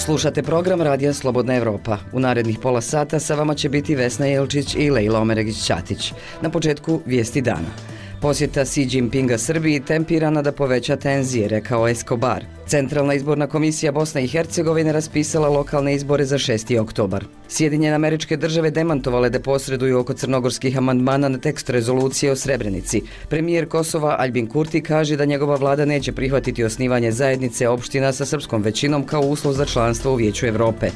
Slušate program Radija Slobodna Evropa. U narednih pola sata sa vama će biti Vesna Jelčić i Lejla Omeregić-Ćatić. Na početku vijesti dana. Posjeta Xi Jinpinga Srbiji tempirana da poveća tenzije, rekao Escobar. Centralna izborna komisija Bosne i Hercegovine raspisala lokalne izbore za 6. oktobar. Sjedinjene Američke Države demantovale da posreduju oko crnogorskih amandmana na tekst rezolucije o Srebrenici. Premijer Kosova Aljbin Kurti kaže da njegova vlada neće prihvatiti osnivanje zajednice opština sa srpskom većinom kao uslov za članstvo u Vijeću Evrope.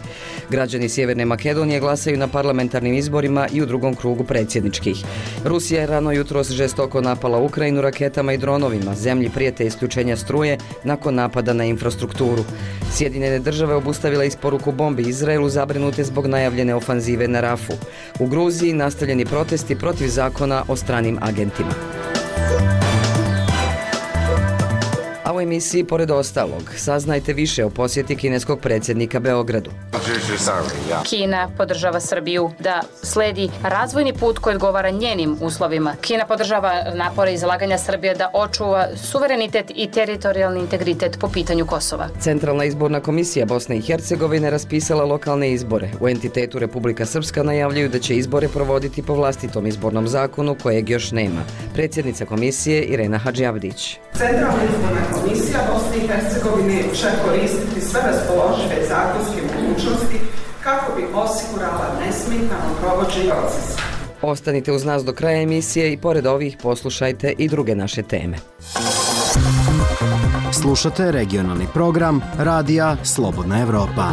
Građani Sjeverne Makedonije glasaju na parlamentarnim izborima i u drugom krugu predsjedničkih. Rusija je rano jutros žestoko napala Ukrajinu raketama i dronovima. Zemlji prijete isključenja struje nakon napada na infrastrukturu. Sjedinjene Države obustavile isporuku bombi Izraelu zabrinute zbog najavljene ofanzive na Rafu. U Gruziji nastavljeni protesti protiv zakona o stranim agentima. A u emisiji, pored ostalog, saznajte više o posjeti kineskog predsjednika Beogradu. Kina podržava Srbiju da sledi razvojni put koji odgovara njenim uslovima. Kina podržava napore i zalaganja Srbije da očuva suverenitet i teritorijalni integritet po pitanju Kosova. Centralna izborna komisija Bosne i Hercegovine raspisala lokalne izbore. U entitetu Republika Srpska najavljuju da će izbore provoditi po vlastitom izbornom zakonu kojeg još nema. Predsjednica komisije Irena Hadžiavdić. Centralna izborna komisija Bosne i Hercegovine će koristiti sve raspoložive zakonske mogućnosti kako bi osigurala nesmetano provođenje procesa. Ostanite uz nas do kraja emisije i pored ovih poslušajte i druge naše teme. Slušate regionalni program Radija Slobodna Evropa.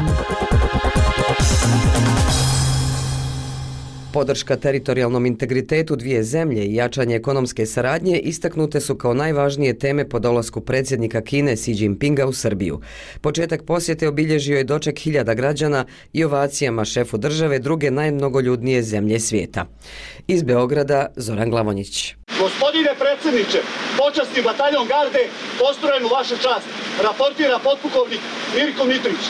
Podrška teritorijalnom integritetu dvije zemlje i jačanje ekonomske saradnje istaknute su kao najvažnije teme po dolasku predsjednika Kine Xi Jinpinga u Srbiju. Početak posjete obilježio je doček hiljada građana i ovacijama šefu države druge najmnogoljudnije zemlje svijeta. Iz Beograda Zoran Glavonjić. Gospodine predsjedniče, počasni bataljon garde postrojen u vašu čast, raportira potpukovnik Mirko Mitrić.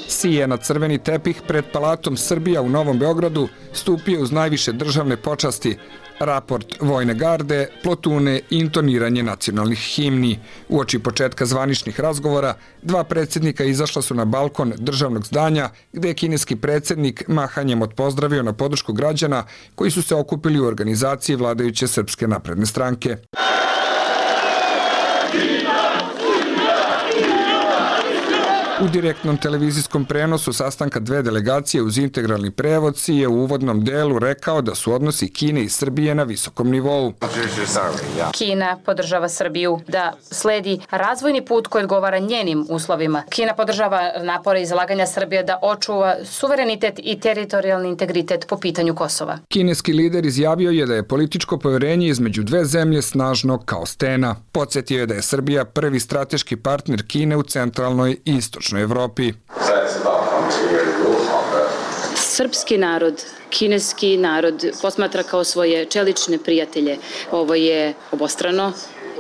Xi je na crveni tepih pred Palatom Srbija u Novom Beogradu stupio uz najviše državne počasti, raport vojne garde, plotune i intoniranje nacionalnih himni. Uoči početka zvaničnih razgovora, dva predsjednika izašla su na balkon državnog zdanja, gde je kineski predsjednik mahanjem odpozdravio na podršku građana koji su se okupili u organizaciji vladajuće Srpske napredne stranke. U direktnom televizijskom prenosu sastanka dve delegacije uz integralni prevod Xi je u uvodnom delu rekao da su odnosi Kine i Srbije na visokom nivou. Kina podržava Srbiju da sledi razvojni put koji odgovara njenim uslovima. Kina podržava napore i zalaganja Srbije da očuva suverenitet i teritorijalni integritet po pitanju Kosova. Kineski lider izjavio je da je političko poverenje između dve zemlje snažno kao stena. Podsjetio je da je Srbija prvi strateški partner Kine u centralnoj i istočnoj Evropi. Srpski narod, kineski narod posmatra kao svoje čelične prijatelje. Ovo je obostrano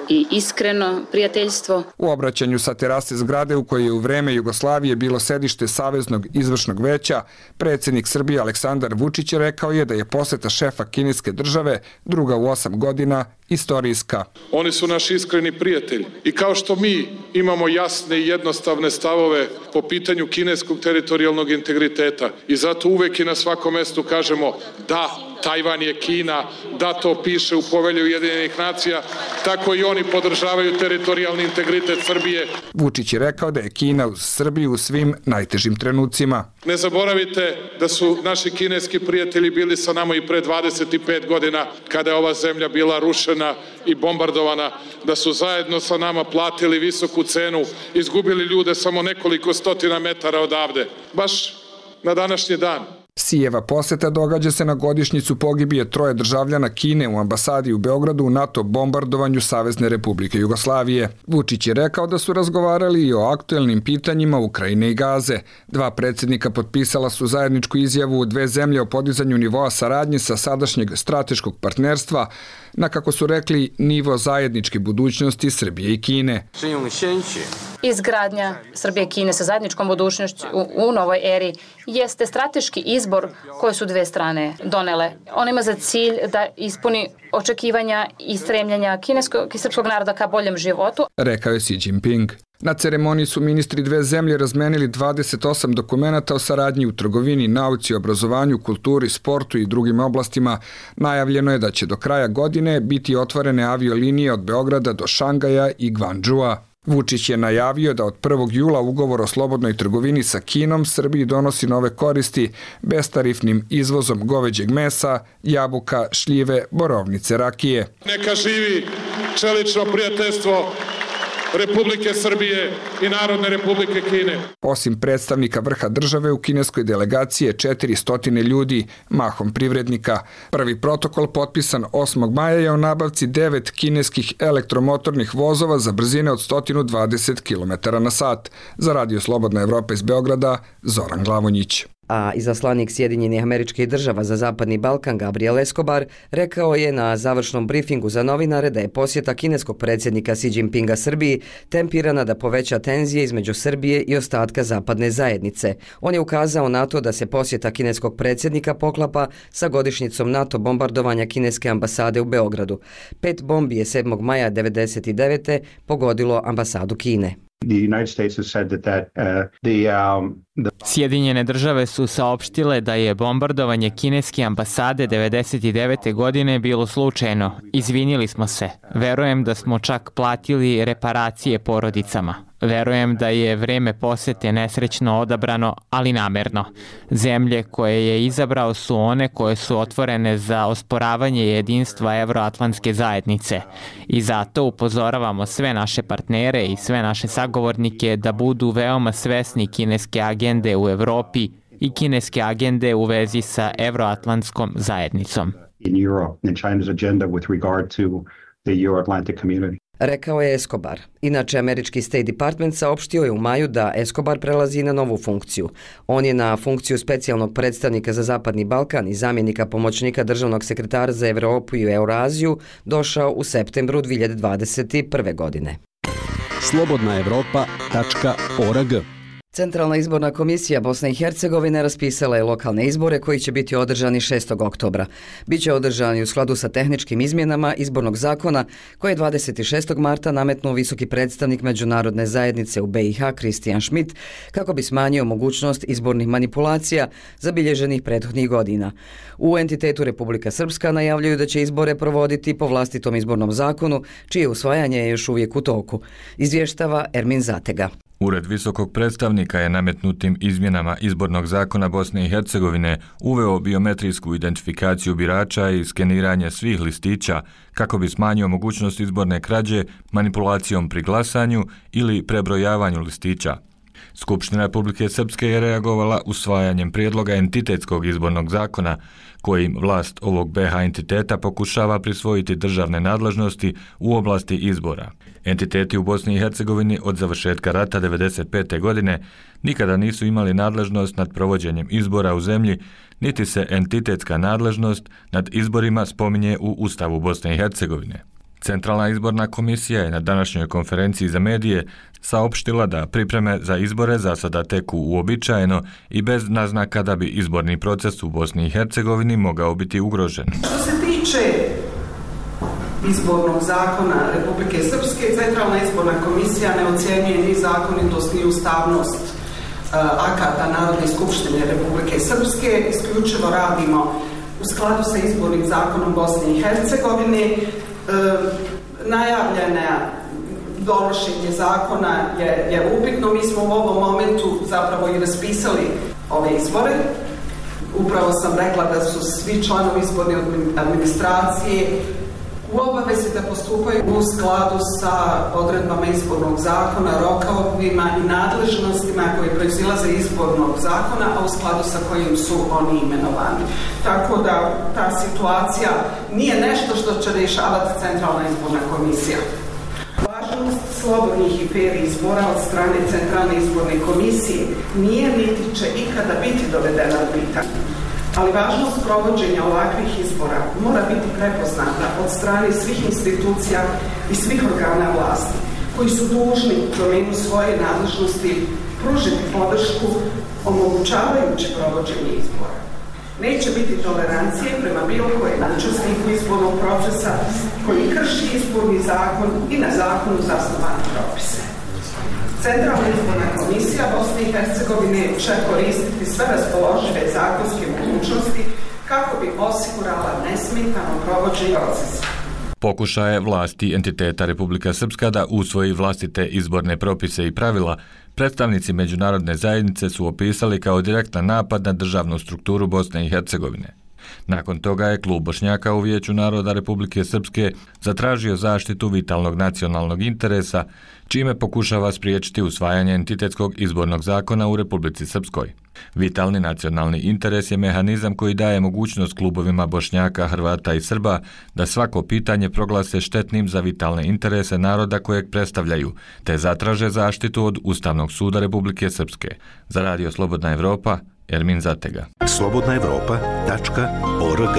i iskreno prijateljstvo. U obraćanju sa terase zgrade u kojoj je u vreme Jugoslavije bilo sedište Saveznog izvršnog veća, predsjednik Srbije Aleksandar Vučić rekao je da je poseta šefa kineske države, druga u 8 godina, istorijska. Oni su naši iskreni prijatelji i kao što mi imamo jasne i jednostavne stavove po pitanju kineskog teritorijalnog integriteta i zato uvek i na svakom mestu kažemo da, Tajvan je Kina, da to piše u Povelji Ujedinjenih nacija, tako i oni podržavaju teritorijalni integritet Srbije. Vučić je rekao da je Kina uz Srbiju u svim najtežim trenucima. Ne zaboravite da su naši kineski prijatelji bili sa nama i pre 25 godina kada je ova zemlja bila rušena i bombardovana, da su zajedno sa nama platili visoku cenu, izgubili ljude samo nekoliko stotina metara odavde. Baš na današnji dan. Xijeva poseta događa se na godišnjicu pogibije 3 državljana Kine u ambasadi u Beogradu u NATO bombardovanju Savezne Republike Jugoslavije. Vučić je rekao da su razgovarali i o aktuelnim pitanjima Ukrajine i Gaze. Dva predsjednika potpisala su zajedničku izjavu u dve zemlje o podizanju nivoa saradnje sa sadašnjeg strateškog partnerstva na, kako su rekli, nivo zajedničke budućnosti Srbije i Kine. Izgradnja Srbije i Kine sa zajedničkom budućnošću u novoj eri jeste strateški izbor koje su dve strane donele. On ima za cilj da ispuni očekivanja i stremljenja kineskog i srpskog naroda ka boljem životu, rekao je Xi Jinping. Na ceremoniji su ministri dve zemlje razmenili 28 dokumenata o saradnji u trgovini, nauci, obrazovanju, kulturi, sportu i drugim oblastima. Najavljeno je da će do kraja godine biti otvorene aviolinije od Beograda do Šangaja i Gvandžua. Vučić je najavio da od 1. jula ugovor o slobodnoj trgovini sa Kinom Srbiji donosi nove koristi bestarifnim izvozom goveđeg mesa, jabuka, šljive, borovnice, rakije. Neka živi čelično prijateljstvo Republike Srbije i Narodne Republike Kine. Osim predstavnika vrha države, u kineskoj delegaciji je 400 ljudi, mahom privrednika. Prvi protokol potpisan 8. maja je o nabavci 9 kineskih elektromotornih vozova za brzine od 120 km/h. Za Radio Slobodna Evropa iz Beograda, Zoran Glavonjić. A izaslanik Sjedinjenih Američkih Država za Zapadni Balkan Gabriel Escobar rekao je na završnom brifingu za novinare da je posjeta kineskog predsjednika Xi Jinpinga Srbiji tempirana da poveća tenzije između Srbije i ostatka zapadne zajednice. On je ukazao na to da se posjeta kineskog predsjednika poklapa sa godišnjicom NATO bombardovanja kineske ambasade u Beogradu. 5 bombi je 7. maja 1999. pogodilo ambasadu Kine. Sjedinjene države su saopštile da je bombardovanje kineske ambasade 1999. godine bilo slučajno. Izvinili smo se. Verujem da smo čak platili reparacije porodicama. Verujem da je vreme posete nesrećno odabrano, ali namerno. Zemlje koje je izabrao su one koje su otvorene za osporavanje jedinstva Evroatlantske zajednice. I zato upozoravamo sve naše partnere i sve naše sagovornike da budu veoma svesni kineske agende u Evropi i kineske agende u vezi sa Evroatlantskom zajednicom. Rekao je Escobar. Inače, američki State Department saopštio je u maju da Escobar prelazi na novu funkciju. On je na funkciju specijalnog predstavnika za Zapadni Balkan i zamjenika pomoćnika državnog sekretara za Evropu i Euraziju došao u septembru 2021. godine. slobodnaevropa.org. Centralna izborna komisija Bosne i Hercegovine raspisala je lokalne izbore koji će biti održani 6. oktobra. Biće održani u skladu sa tehničkim izmjenama izbornog zakona koje je 26. marta nametnuo visoki predstavnik međunarodne zajednice u BiH Kristijan Schmidt kako bi smanjio mogućnost izbornih manipulacija zabilježenih prethodnih godina. U entitetu Republika Srpska najavljuju da će izbore provoditi po vlastitom izbornom zakonu, čije usvajanje je još uvijek u toku. Izvještava Ermin Zatega. Ured visokog predstavnika je nametnutim izmjenama izbornog zakona Bosne i Hercegovine uveo biometrijsku identifikaciju birača i skeniranje svih listića kako bi smanjio mogućnost izborne krađe manipulacijom pri glasanju ili prebrojavanju listića. Skupština Republike Srpske je reagovala usvajanjem prijedloga entitetskog izbornog zakona kojim vlast ovog BiH entiteta pokušava prisvojiti državne nadležnosti u oblasti izbora. Entiteti u Bosni i Hercegovini od završetka rata 1995. godine nikada nisu imali nadležnost nad provođenjem izbora u zemlji, niti se entitetska nadležnost nad izborima spominje u Ustavu Bosne i Hercegovine. Centralna izborna komisija je na današnjoj konferenciji za medije saopštila da pripreme za izbore za sada teku uobičajeno i bez naznaka da bi izborni proces u Bosni i Hercegovini mogao biti ugrožen. Što se tiče izbornog zakona Republike Srpske, Centralna izborna komisija ne ocjenjuje ni zakonitost ni ustavnost akata Narodne skupštine Republike Srpske. Isključivo radimo u skladu sa izbornim zakonom Bosne i Hercegovine. Najavljena donošenje zakona je upitno. Mi smo u ovom momentu zapravo i raspisali ove izbore. Upravo sam rekla da su svi članovi izborne administracije u obavezi da postupaju u skladu sa odredbama izbornog zakona, rokovima i nadležnostima koje proizilaze iz izbornog zakona, a u skladu sa kojim su oni imenovani. Tako da ta situacija nije nešto što će rješavati Centralna izborna komisija. Važnost slobodnih i fer izbora od strane Centralne izborne komisije nije niti će ikada biti dovedena u pitanje. Ali važnost provođenja ovakvih izbora mora biti prepoznata od strane svih institucija i svih organa vlasti, koji su dužni u domenu svoje nadležnosti pružiti podršku omogućavajući provođenje izbora. Neće biti tolerancije prema bilo kojem učesniku izbornog procesa koji krši izborni zakon i na zakonu zasnovane propise. Centralna izborna komisija Bosne i Hercegovine će koristiti sve raspoložive zakonske mogućnosti kako bi osigurala nesmetano provođenje procesa. Pokušaje vlasti entiteta Republika Srpska da usvoji vlastite izborne propise i pravila, predstavnici međunarodne zajednice su opisali kao direktan napad na državnu strukturu Bosne i Hercegovine. Nakon toga je Klub Bošnjaka u Vijeću naroda Republike Srpske zatražio zaštitu vitalnog nacionalnog interesa, čime pokušava spriječiti usvajanje entitetskog izbornog zakona u Republici Srpskoj. Vitalni nacionalni interes je mehanizam koji daje mogućnost klubovima Bošnjaka, Hrvata i Srba da svako pitanje proglase štetnim za vitalne interese naroda kojeg predstavljaju, te zatraže zaštitu od Ustavnog suda Republike Srpske. Za Radio Slobodna Evropa, Ermin Zatega. slobodnaevropa.org.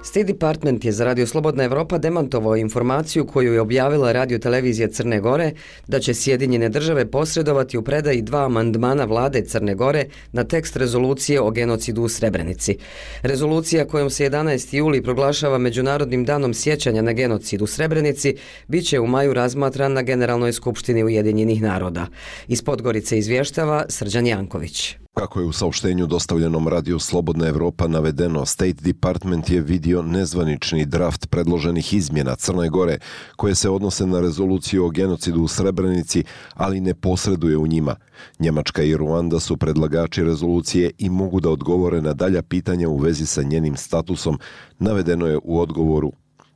State Department je za Radio Slobodna Evropa demantovao informaciju koju je objavila radiotelevizija Crne Gore da će Sjedinjene države posredovati u predaji 2 amandmana vlade Crne Gore na tekst rezolucije o genocidu u Srebrenici. Rezolucija kojom se 11. juli proglašava Međunarodnim danom sjećanja na genocid u Srebrenici biće u maju razmatran na Generalnoj skupštini Ujedinjenih naroda. Iz Podgorice izvještava Srđan Janković. Kako je u saopštenju dostavljenom Radio Slobodna Evropa navedeno, State Department je vidio nezvanični draft predloženih izmjena Crne Gore koje se odnose na rezoluciju o genocidu u Srebrenici, ali ne posreduje u njima. Njemačka i Ruanda su predlagači rezolucije i mogu da odgovore na dalja pitanja u vezi sa njenim statusom, navedeno je u odgovoru.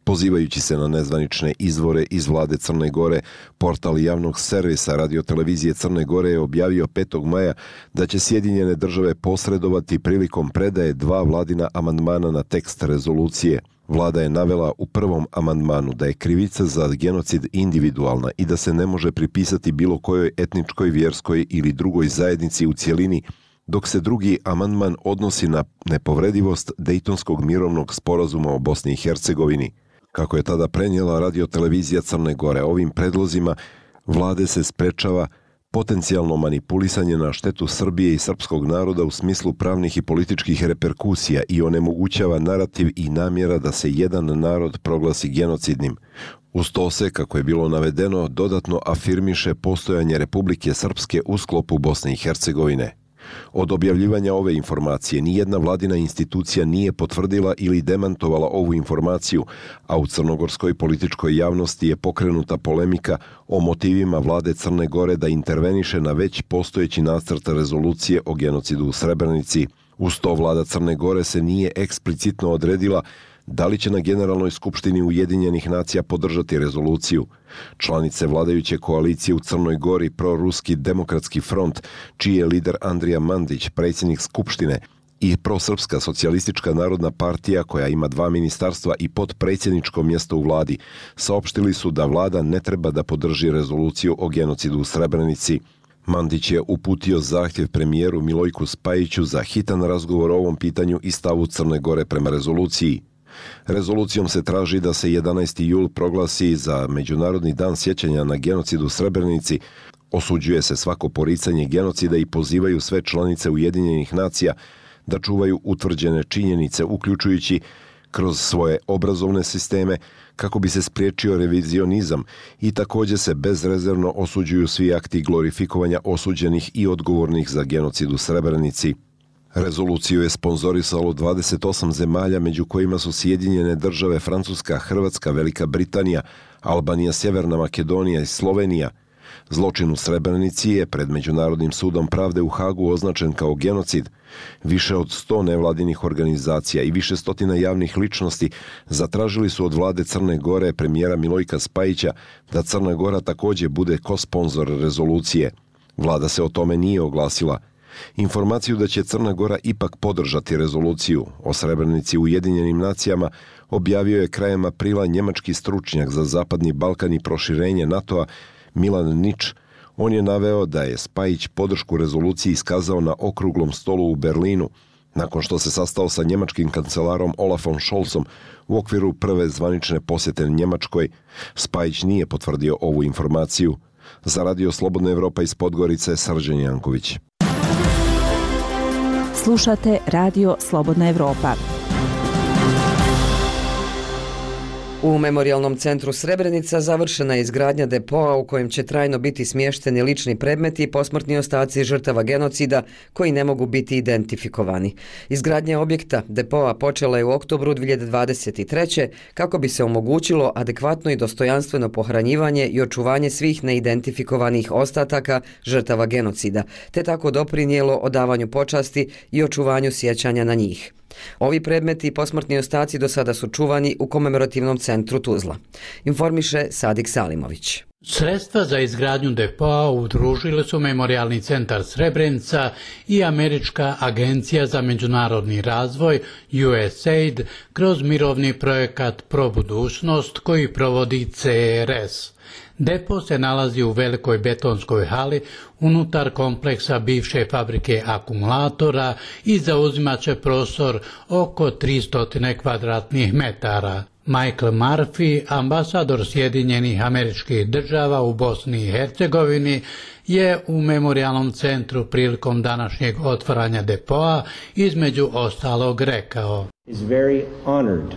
Pozivajući se na nezvanične izvore iz vlade Crne Gore, portal javnog servisa radiotelevizije Crne Gore je objavio 5. maja da će Sjedinjene države posredovati prilikom predaje 2 vladina amandmana na tekst rezolucije. Vlada je navela u prvom amandmanu da je krivica za genocid individualna i da se ne može pripisati bilo kojoj etničkoj, vjerskoj ili drugoj zajednici u cjelini, dok se drugi amandman odnosi na nepovredivost Dejtonskog mirovnog sporazuma o Bosni i Hercegovini. Kako je tada prenijela radiotelevizija Crne Gore, ovim predlozima vlade se sprečava potencijalno manipulisanje na štetu Srbije i srpskog naroda u smislu pravnih i političkih reperkusija i onemogućava narativ i namjera da se jedan narod proglasi genocidnim. Uz to se, kako je bilo navedeno, dodatno afirmiše postojanje Republike Srpske u sklopu Bosne i Hercegovine. Od objavljivanja ove informacije nijedna vladina institucija nije potvrdila ili demantovala ovu informaciju, a u crnogorskoj političkoj javnosti je pokrenuta polemika o motivima vlade Crne Gore da interveniše na već postojeći nacrt rezolucije o genocidu u Srebrenici. Uz to vlada Crne Gore se nije eksplicitno odredila da li će na Generalnoj skupštini Ujedinjenih nacija podržati rezoluciju. Članice vladajuće koalicije u Crnoj Gori, Proruski demokratski front, čiji je lider Andrija Mandić, predsjednik skupštine, i Prosrpska socijalistička narodna partija, koja ima 2 ministarstva i potpredsjedničko mjesto u vladi, saopštili su da vlada ne treba da podrži rezoluciju o genocidu u Srebrenici. Mandić je uputio zahtjev premijeru Milojku Spajiću za hitan razgovor o ovom pitanju i stavu Crne Gore prema rezoluciji. Rezolucijom se traži da se 11. jul proglasi za Međunarodni dan sjećanja na genocid u Srebrenici, osuđuje se svako poricanje genocida i pozivaju sve članice Ujedinjenih nacija da čuvaju utvrđene činjenice, uključujući kroz svoje obrazovne sisteme, kako bi se spriječio revizionizam, i također se bezrezervno osuđuju svi akti glorifikovanja osuđenih i odgovornih za genocid u Srebrenici. Rezoluciju je sponzorisalo 28 zemalja, među kojima su Sjedinjene države, Francuska, Hrvatska, Velika Britanija, Albanija, Sjeverna Makedonija i Slovenija. Zločin u Srebrenici je pred Međunarodnim sudom pravde u Hagu označen kao genocid. Više od 100 nevladinih organizacija i više stotina javnih ličnosti zatražili su od vlade Crne Gore premijera Milojka Spajića da Crna Gora također bude kosponzor rezolucije. Vlada se o tome nije oglasila. Informaciju da će Crna Gora ipak podržati rezoluciju o Srebrenici Ujedinjenim nacijama objavio je krajem aprila njemački stručnjak za Zapadni Balkan i proširenje NATO-a Milan Nič. On je naveo da je Spajić podršku rezoluciji iskazao na okruglom stolu u Berlinu. Nakon što se sastao sa njemačkim kancelarom Olafom Scholzom u okviru prve zvanične posjete Njemačkoj, Spajić nije potvrdio ovu informaciju. Za Radio Slobodna Evropa iz Podgorice, Srđan Janković. Slušate Radio Slobodna Evropa. U Memorijalnom centru Srebrenica završena je izgradnja depoa u kojem će trajno biti smješteni lični predmeti i posmrtni ostaci žrtava genocida koji ne mogu biti identifikovani. Izgradnja objekta depoa počela je u oktobru 2023. kako bi se omogućilo adekvatno i dostojanstveno pohranjivanje i očuvanje svih neidentifikovanih ostataka žrtava genocida, te tako doprinijelo odavanju počasti i očuvanju sjećanja na njih. Ovi predmeti i posmrtni ostaci do sada su čuvani u Komemorativnom centru Tuzla. Informiše Sadik Salimović. Sredstva za izgradnju depoa udružili su Memorijalni centar Srebrenica i Američka agencija za međunarodni razvoj USAID kroz mirovni projekat Pro budućnost koji provodi CRS. Depo se nalazi u velikoj betonskoj hali unutar kompleksa bivše fabrike akumulatora i zauzimaće prostor oko 300 kvadratnih metara. Michael Murphy, ambasador Sjedinjenih Američkih Država u Bosni i Hercegovini, je u Memorijalnom centru prilikom današnjeg otvaranja depoa između ostalog rekao: is very honored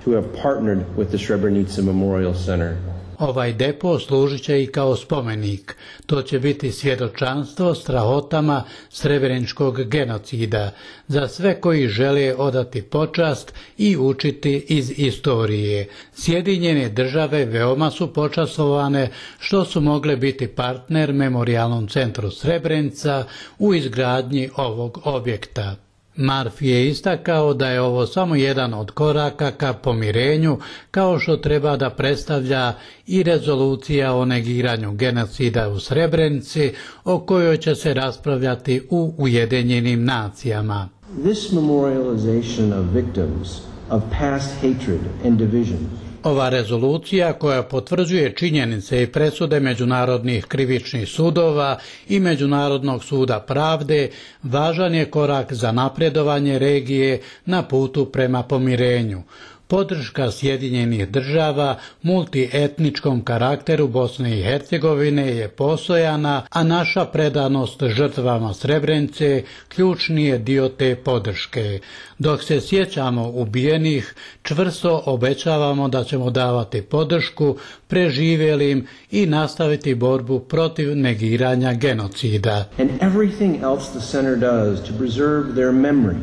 to have partnered with the Srebrenica Memorial Center. Ovaj depo služit će i kao spomenik. To će biti svjedočanstvo strahotama srebreničkog genocida za sve koji žele odati počast i učiti iz istorije. Sjedinjene Države veoma su počastvovane što su mogle biti partner Memorijalnom centru Srebrenica u izgradnji ovog objekta. Murphy je istakao da je ovo samo jedan od koraka ka pomirenju, kao što treba da predstavlja i rezolucija o negiranju genocida u Srebrenici, o kojoj će se raspravljati u Ujedinjenim nacijama. This memorialization of victims of past hatred and division. Ova rezolucija koja potvrđuje činjenice i presude međunarodnih krivičnih sudova i Međunarodnog suda pravde važan je korak za napredovanje regije na putu prema pomirenju. Podrška Sjedinjenih Država multietničkom karakteru Bosne i Hercegovine je postojana, a naša predanost žrtvama Srebrenice ključni je dio te podrške. Dok se sjećamo ubijenih, čvrsto obećavamo da ćemo davati podršku preživjelim i nastaviti borbu protiv negiranja genocida. And everything else the center does to preserve their memory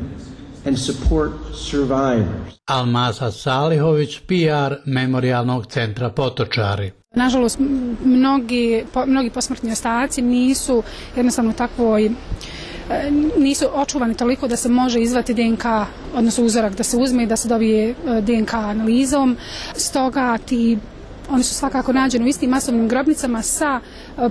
and support survivors. Almasa Salihović, PR Memorijalnog centra Potočari. Nažalost, mnogi posmrtni ostaci nisu jednostavno takvoj, nisu očuvani toliko da se može izvati DNK, odnosno uzorak da se uzme i da se dobije DNK analizom. Stoga oni su svakako nađeni u istim masovnim grobnicama sa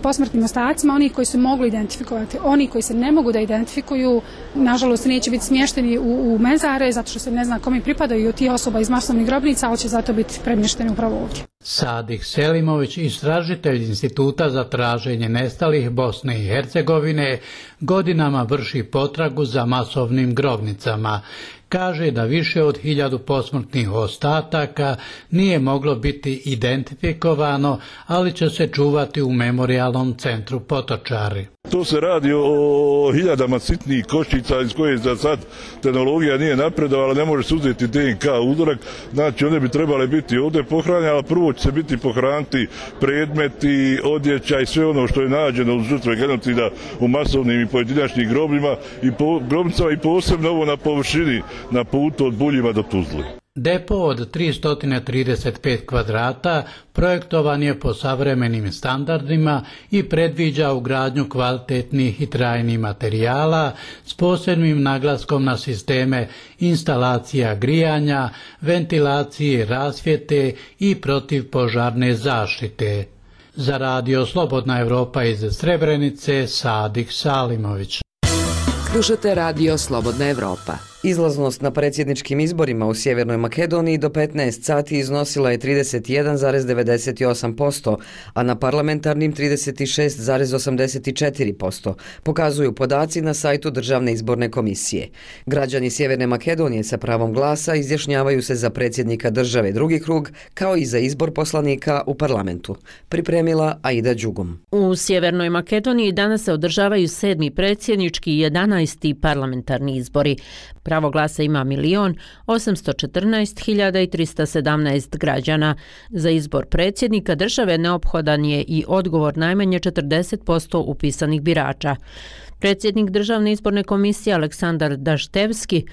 posmrtnim ostacima, oni koji su mogli identifikovati. Oni koji se ne mogu da identifikuju, nažalost, neće biti smješteni u mezare, zato što se ne zna kome pripadaju od tih osoba iz masovnih grobnica, ali će zato biti premješteni upravo ovdje. Sadik Selimović, istražitelj Instituta za traženje nestalih Bosne i Hercegovine, godinama vrši potragu za masovnim grobnicama. Kaže da više od 1000 posmrtnih ostataka nije moglo biti identifikovano, ali će se čuvati u Memorijalnom centru Potočari. To se radi o hiljadama sitnih koščica iz koje za sad tehnologija nije napredovala, ne može se uzeti DNK uzorak, znači one bi trebale biti ovdje pohranjene, ali prvo će se biti pohraniti predmeti, odjeća i sve ono što je nađeno uz žrtve genocida u masovnim i pojedinačnim grobljima i posebno ovo na površini na putu od Buljima do Tuzle. Depo od 335 kvadrata projektovan je po savremenim standardima i predviđa ugradnju kvalitetnih i trajnih materijala s posebnim naglaskom na sisteme instalacija grijanja, ventilacije, rasvjete i protivpožarne zaštite. Za Radio Slobodna Evropa iz Srebrenice, Sadik Salimović. Slušate Radio Slobodna Evropa. Izlaznost na predsjedničkim izborima u Sjevernoj Makedoniji do 15 sati iznosila je 31,98%, a na parlamentarnim 36,84%, pokazuju podaci na sajtu Državne izborne komisije. Građani Sjeverne Makedonije sa pravom glasa izjašnjavaju se za predsjednika države drugi krug, kao i za izbor poslanika u parlamentu. Pripremila Aida Đugum. U Sjevernoj Makedoniji danas se održavaju 7. predsjednički i 11. parlamentarni izbori. Pravo glasa ima 1.814.317 građana. Za izbor predsjednika države neophodan je i odgovor najmanje 40% upisanih birača. Predsjednik Državne izborne komisije Aleksandar Daštevski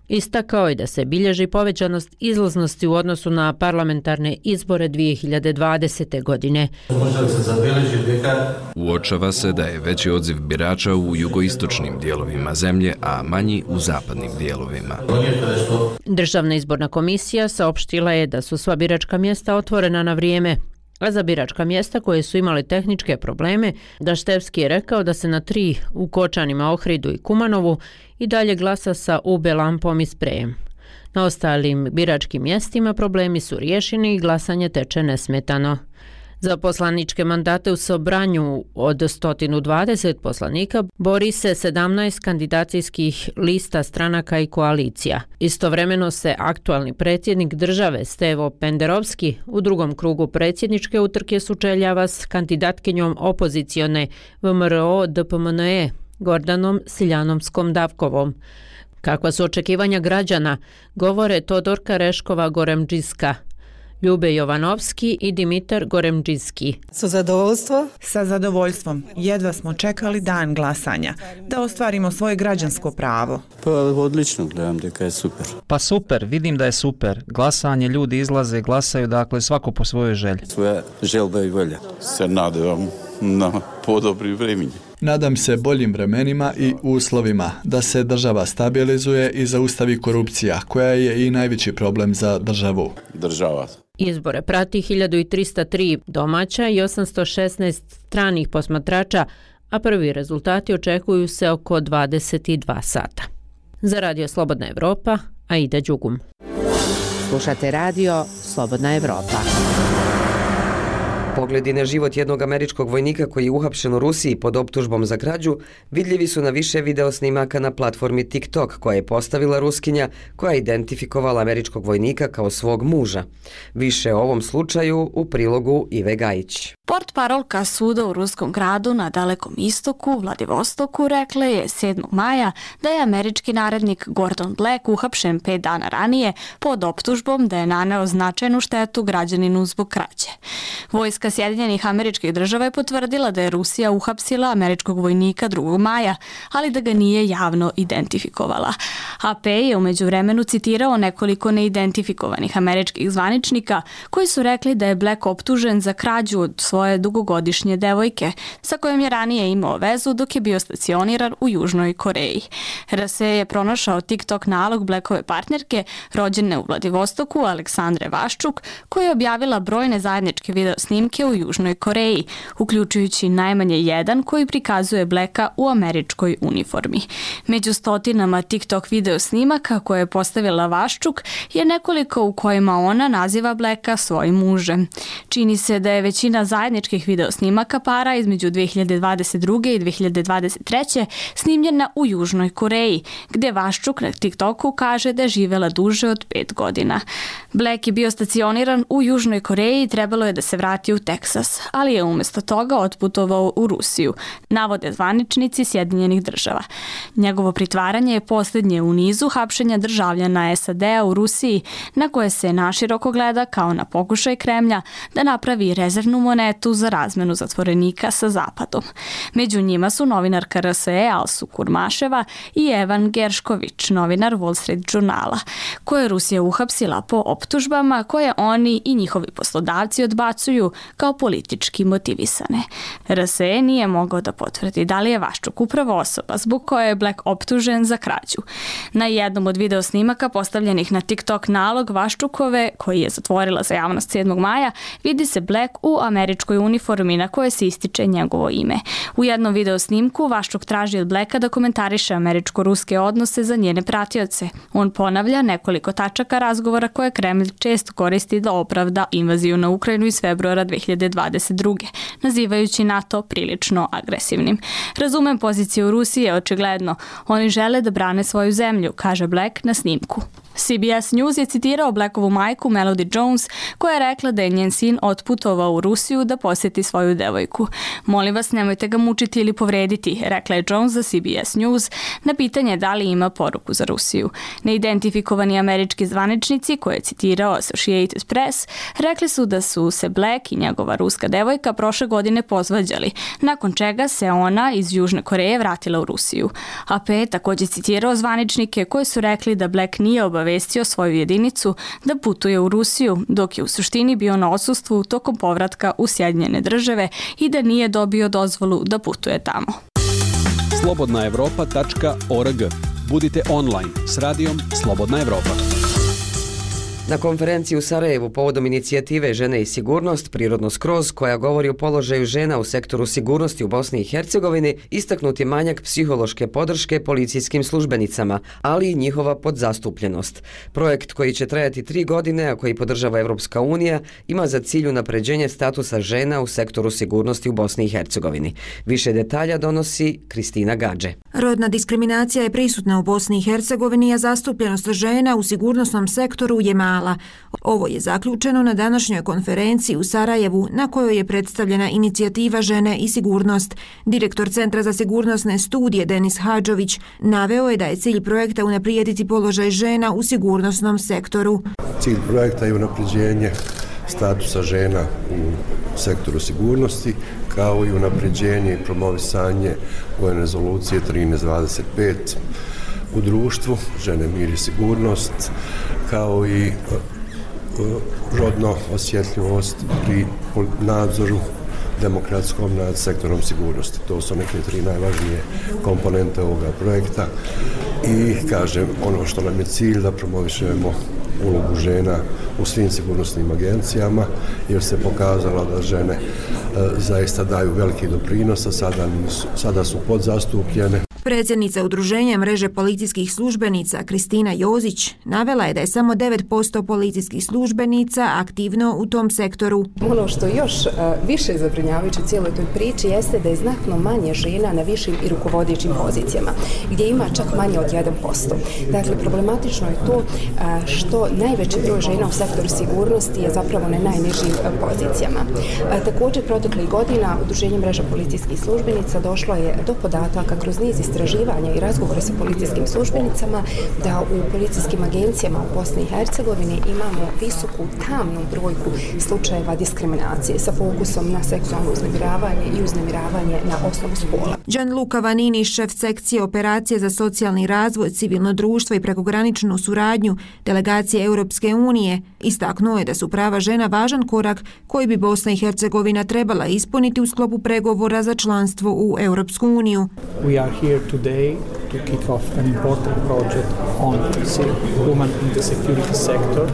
istakao je da se bilježi povećanost izlaznosti u odnosu na parlamentarne izbore 2020. godine. Uočava se da je veći odziv birača u jugoistočnim dijelovima zemlje, a manji u zapadnim dijelovima. Državna izborna komisija saopštila je da su sva biračka mjesta otvorena na vrijeme, a za biračka mjesta koje su imale tehničke probleme, Daštevski je rekao da se na 3 u Kočanima, Ohridu i Kumanovu i dalje glasa sa UB lampom i sprejem. Na ostalim biračkim mjestima problemi su riješeni i glasanje teče nesmetano. Za poslaničke mandate u Sobranju od 120 poslanika bori se 17 kandidacijskih lista stranaka i koalicija. Istovremeno se aktualni predsjednik države Stevo Penderovski u drugom krugu predsjedničke utrke sučeljava s kandidatkinjom opozicione VMRO DPMNE Gordanom Siljanomskom Davkovom. Kakva su očekivanja građana, govore Todorka Reškova-Goremđiska, Ljube Jovanovski i Dimitar Goremđiski. Sa zadovoljstvom. Jedva smo čekali dan glasanja, da ostvarimo svoje građansko pravo. Pa odlično, gledam da je super. Pa super, vidim da je super. Glasanje, ljudi izlaze, glasaju, dakle svako po svojoj želji. Svoja želba i volja. Se nadam na podobri vremeni. Nadam se boljim vremenima i uslovima, da se država stabilizuje i zaustavi korupcija, koja je i najveći problem za državu. Država. Izbore prati 1303 domaća i 816 stranih posmatrača, a prvi rezultati očekuju se oko 22 sata. Za Radio Slobodna Evropa, Aida Đugum. Slušate Radio Slobodna Evropa. Pogledi na život jednog američkog vojnika koji je uhapšen u Rusiji pod optužbom za krađu vidljivi su na više video snimaka na platformi TikTok koja je postavila Ruskinja koja je identifikovala američkog vojnika kao svog muža. Više o ovom slučaju u prilogu Ive Gajić. Portparolka suda u ruskom gradu na Dalekom istoku, Vladivostoku, rekla je 7. maja da je američki narednik Gordon Black uhapšen 5 dana ranije pod optužbom da je naneo značajnu štetu građaninu zbog krađe. Vojska Sjedinjenih Američkih Država je potvrdila da je Rusija uhapsila američkog vojnika 2. maja, ali da ga nije javno identifikovala. AP je u međuvremenu citirao nekoliko neidentifikovanih američkih zvaničnika koji su rekli da je Black optužen za krađu od svoje dugogodišnje devojke, sa kojom je ranije imao vezu dok je bio stacioniran u Južnoj Koreji. RSE je pronašao TikTok nalog Blackove partnerke, rođene u Vladivostoku, Aleksandre Vaščuk, koja je objavila brojne zajedničke video snimke u Južnoj Koreji, uključujući najmanje jedan koji prikazuje Blacka u američkoj uniformi. Među stotinama TikTok video snimaka koje je postavila Vaščuk je nekoliko u kojima ona naziva Blacka svojim mužem. Čini se da je većina zajedničkih video snimaka para između 2022. i 2023. snimljena u Južnoj Koreji, gdje Vaščuk na TikToku kaže da je živjela duže od 5 godina. Black je bio stacioniran u Južnoj Koreji i trebalo je da se vrati u Teksas, ali je umjesto toga otputovao u Rusiju, navode zvaničnici Sjedinjenih Država. Njegovo pritvaranje je posljednje u nizu hapšenja državljana SAD-a u Rusiji, na koje se naširoko gleda kao na pokušaj Kremlja da napravi rezervnu monetu za razmenu zatvorenika sa Zapadom. Među njima su novinarka RSE Alsu Kurmaševa i Evan Geršković, novinar Wall Street Journala, koje je Rusija uhapsila po optužbama koje oni i njihovi poslodavci odbacuju kao politički motivisane. RSE nije mogao da potvrdi da li je Vaščuk upravo osoba zbog koje je Black optužen za krađu. Na jednom od video snimaka postavljenih na TikTok nalog Vaščukove, koji je zatvorila za javnost 7. maja, vidi se Black u američkoj uniformi na kojoj se ističe njegovo ime. U jednom video snimku Vaščuk traži od Blacka da komentariše američko-ruske odnose za njene pratioce. On ponavlja nekoliko tačaka razgovora koje Kremlj često koristi da opravda invaziju na Ukrajinu iz februara 2022. nazivajući NATO prilično agresivnim. Razumem poziciju Rusije, očigledno. Oni žele da brane svoju zemlju, kaže Black na snimku. CBS News je citirao Blackovu majku Melody Jones, koja je rekla da je njen sin otputovao u Rusiju da posjeti svoju devojku. Molim vas, nemojte ga mučiti ili povrediti, rekla je Jones za CBS News na pitanje da li ima poruku za Rusiju. Neidentifikovani američki zvaničnici, koje je citirao Associated Press, rekli su da su se Black i njegova ruska devojka prošle godine pozvađali, nakon čega se ona iz Južne Koreje vratila u Rusiju. AP je također citirao zvaničnike koji su rekli da Black nije obavestio svoju jedinicu da putuje u Rusiju, dok je u suštini bio na odsustvu tokom povratka u Sjedinjene Države i da nije dobio dozvolu da putuje tamo. slobodnaevropa.org. Budite online s radijom Slobodna Evropa. Na konferenciji u Sarajevu povodom inicijative Žene i sigurnost, Prirodno skroz, koja govori o položaju žena u sektoru sigurnosti u Bosni i Hercegovini, istaknut je manjak psihološke podrške policijskim službenicama, ali i njihova podzastupljenost. Projekt koji će trajati 3 godine, a koji podržava Evropska unija, ima za cilj unapređenje statusa žena u sektoru sigurnosti u Bosni i Hercegovini. Više detalja donosi Kristina Gadže. Rodna diskriminacija je prisutna u Bosni i Hercegovini, a zastupljenost žena u sigurnosnom sektoru je mala. Ovo je zaključeno na današnjoj konferenciji u Sarajevu, na kojoj je predstavljena inicijativa Žene i sigurnost. Direktor Centra za sigurnosne studije Denis Hadžović naveo je da je cilj projekta unaprijediti položaj žena u sigurnosnom sektoru. Cilj projekta je unapređenje statusa žena u sektoru sigurnosti, kao i unapređenje i promovisanje vojne rezolucije 1325 u društvu, žene, mir i sigurnost, kao i rodno osjetljivost pri nadzoru demokratskom nad sektorom sigurnosti. To su neke 3 najvažnije komponente ovoga projekta i kažem, ono što nam je cilj da promovišemo ulogu žena u svim sigurnosnim agencijama, jer se pokazalo da žene zaista daju veliki doprinos, a sada su podzastupljene. Predsjednica Udruženja mreže policijskih službenica Kristina Jozić navela je da je samo 9% policijskih službenica aktivno u tom sektoru. Ono što još više zabrinjavajuće u cijeloj toj priči jeste da je znatno manje žena na višim i rukovodećim pozicijama, gdje ima čak manje od 1%. Dakle, problematično je to što najveći broj žena u sektoru sigurnosti je zapravo na najnižim pozicijama. Također, proteklih godina Udruženje mreža policijskih službenica došlo je do podataka kroz niz istraživanja i razgovora sa policijskim službenicama da u policijskim agencijama u Bosni i Hercegovini imamo visoku tamnu brojku slučajeva diskriminacije sa fokusom na seksualno uznemiravanje i uznemiravanje na osnovu spola. Gianluca Vanini, šef sekcije operacije za socijalni razvoj, civilno društvo i prekograničnu suradnju delegacije Europske unije, istaknuo je da su prava žena važan korak koji bi Bosna i Hercegovina trebala ispuniti u sklopu pregovora za članstvo u Europsku uniju. We are here today to kick off an important project on women in the security sector.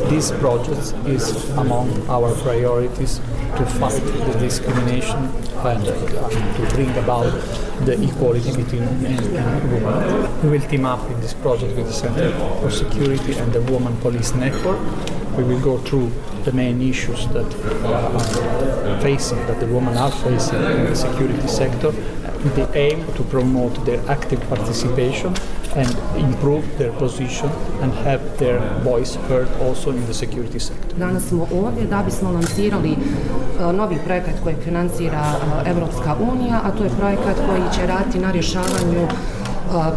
This project is among our priorities to fight the discrimination and to bring about the equality between men and women. We will team up in this project with the Center for Security and the Women Police Network. We will go through the main issues that the women are facing in the security sector, with the aim to promote their active participation and improve their position and have their voice heard also in the security sector. Danas smo ovdje da bismo lansirali novi projekat koji financira Evropska unija, a to je projekat koji će raditi na rješavanju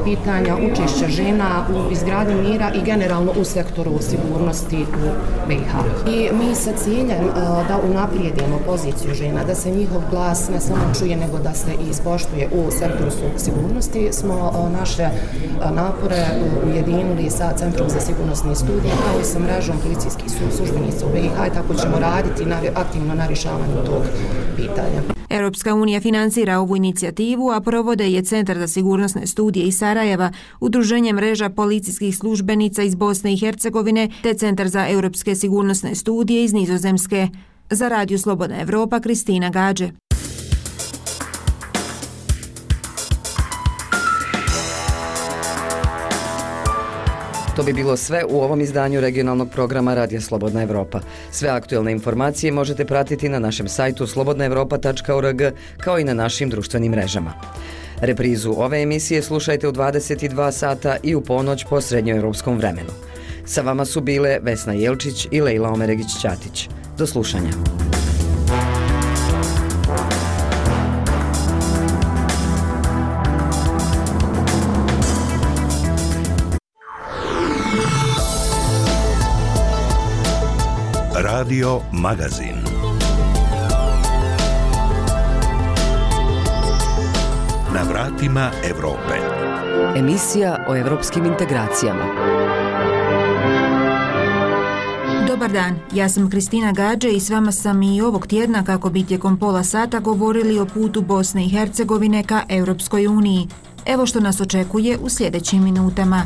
pitanja učešća žena u izgradnji mira i generalno u sektoru sigurnosti u BiH. I mi sa ciljem da unaprijedimo poziciju žena, da se njihov glas ne samo čuje, nego da se i ispoštuje u sektoru sigurnosti, smo naše napore ujedinili sa Centrom za sigurnosne studije, kao i sa mrežom policijskih službenica u BiH, i tako ćemo raditi aktivno na rješavanju tog pitanja. Europska unija financira ovu inicijativu, a provode je Centar za sigurnosne studije iz Sarajeva, Udruženje mreža policijskih službenica iz Bosne i Hercegovine te Centar za europske sigurnosne studije iz Nizozemske. Za Radio Slobodna Evropa, Kristina Gađe. To bi bilo sve u ovom izdanju regionalnog programa Radija Slobodna Evropa. Sve aktuelne informacije možete pratiti na našem sajtu slobodnaevropa.org kao i na našim društvenim mrežama. Reprizu ove emisije slušajte u 22 sata i u ponoć po srednjoevropskom vremenu. Sa vama su bile Vesna Jelčić i Lejla Omeregić-Ćatić. Do slušanja. Radio Magazin. Na vratima Evrope. Emisija o evropskim integracijama. Dobar dan, ja sam Kristina Gađe i s vama sam i ovog tjedna kako bi tijekom pola sata govorili o putu Bosne i Hercegovine ka Europskoj uniji. Evo što nas očekuje u sljedećim minutama.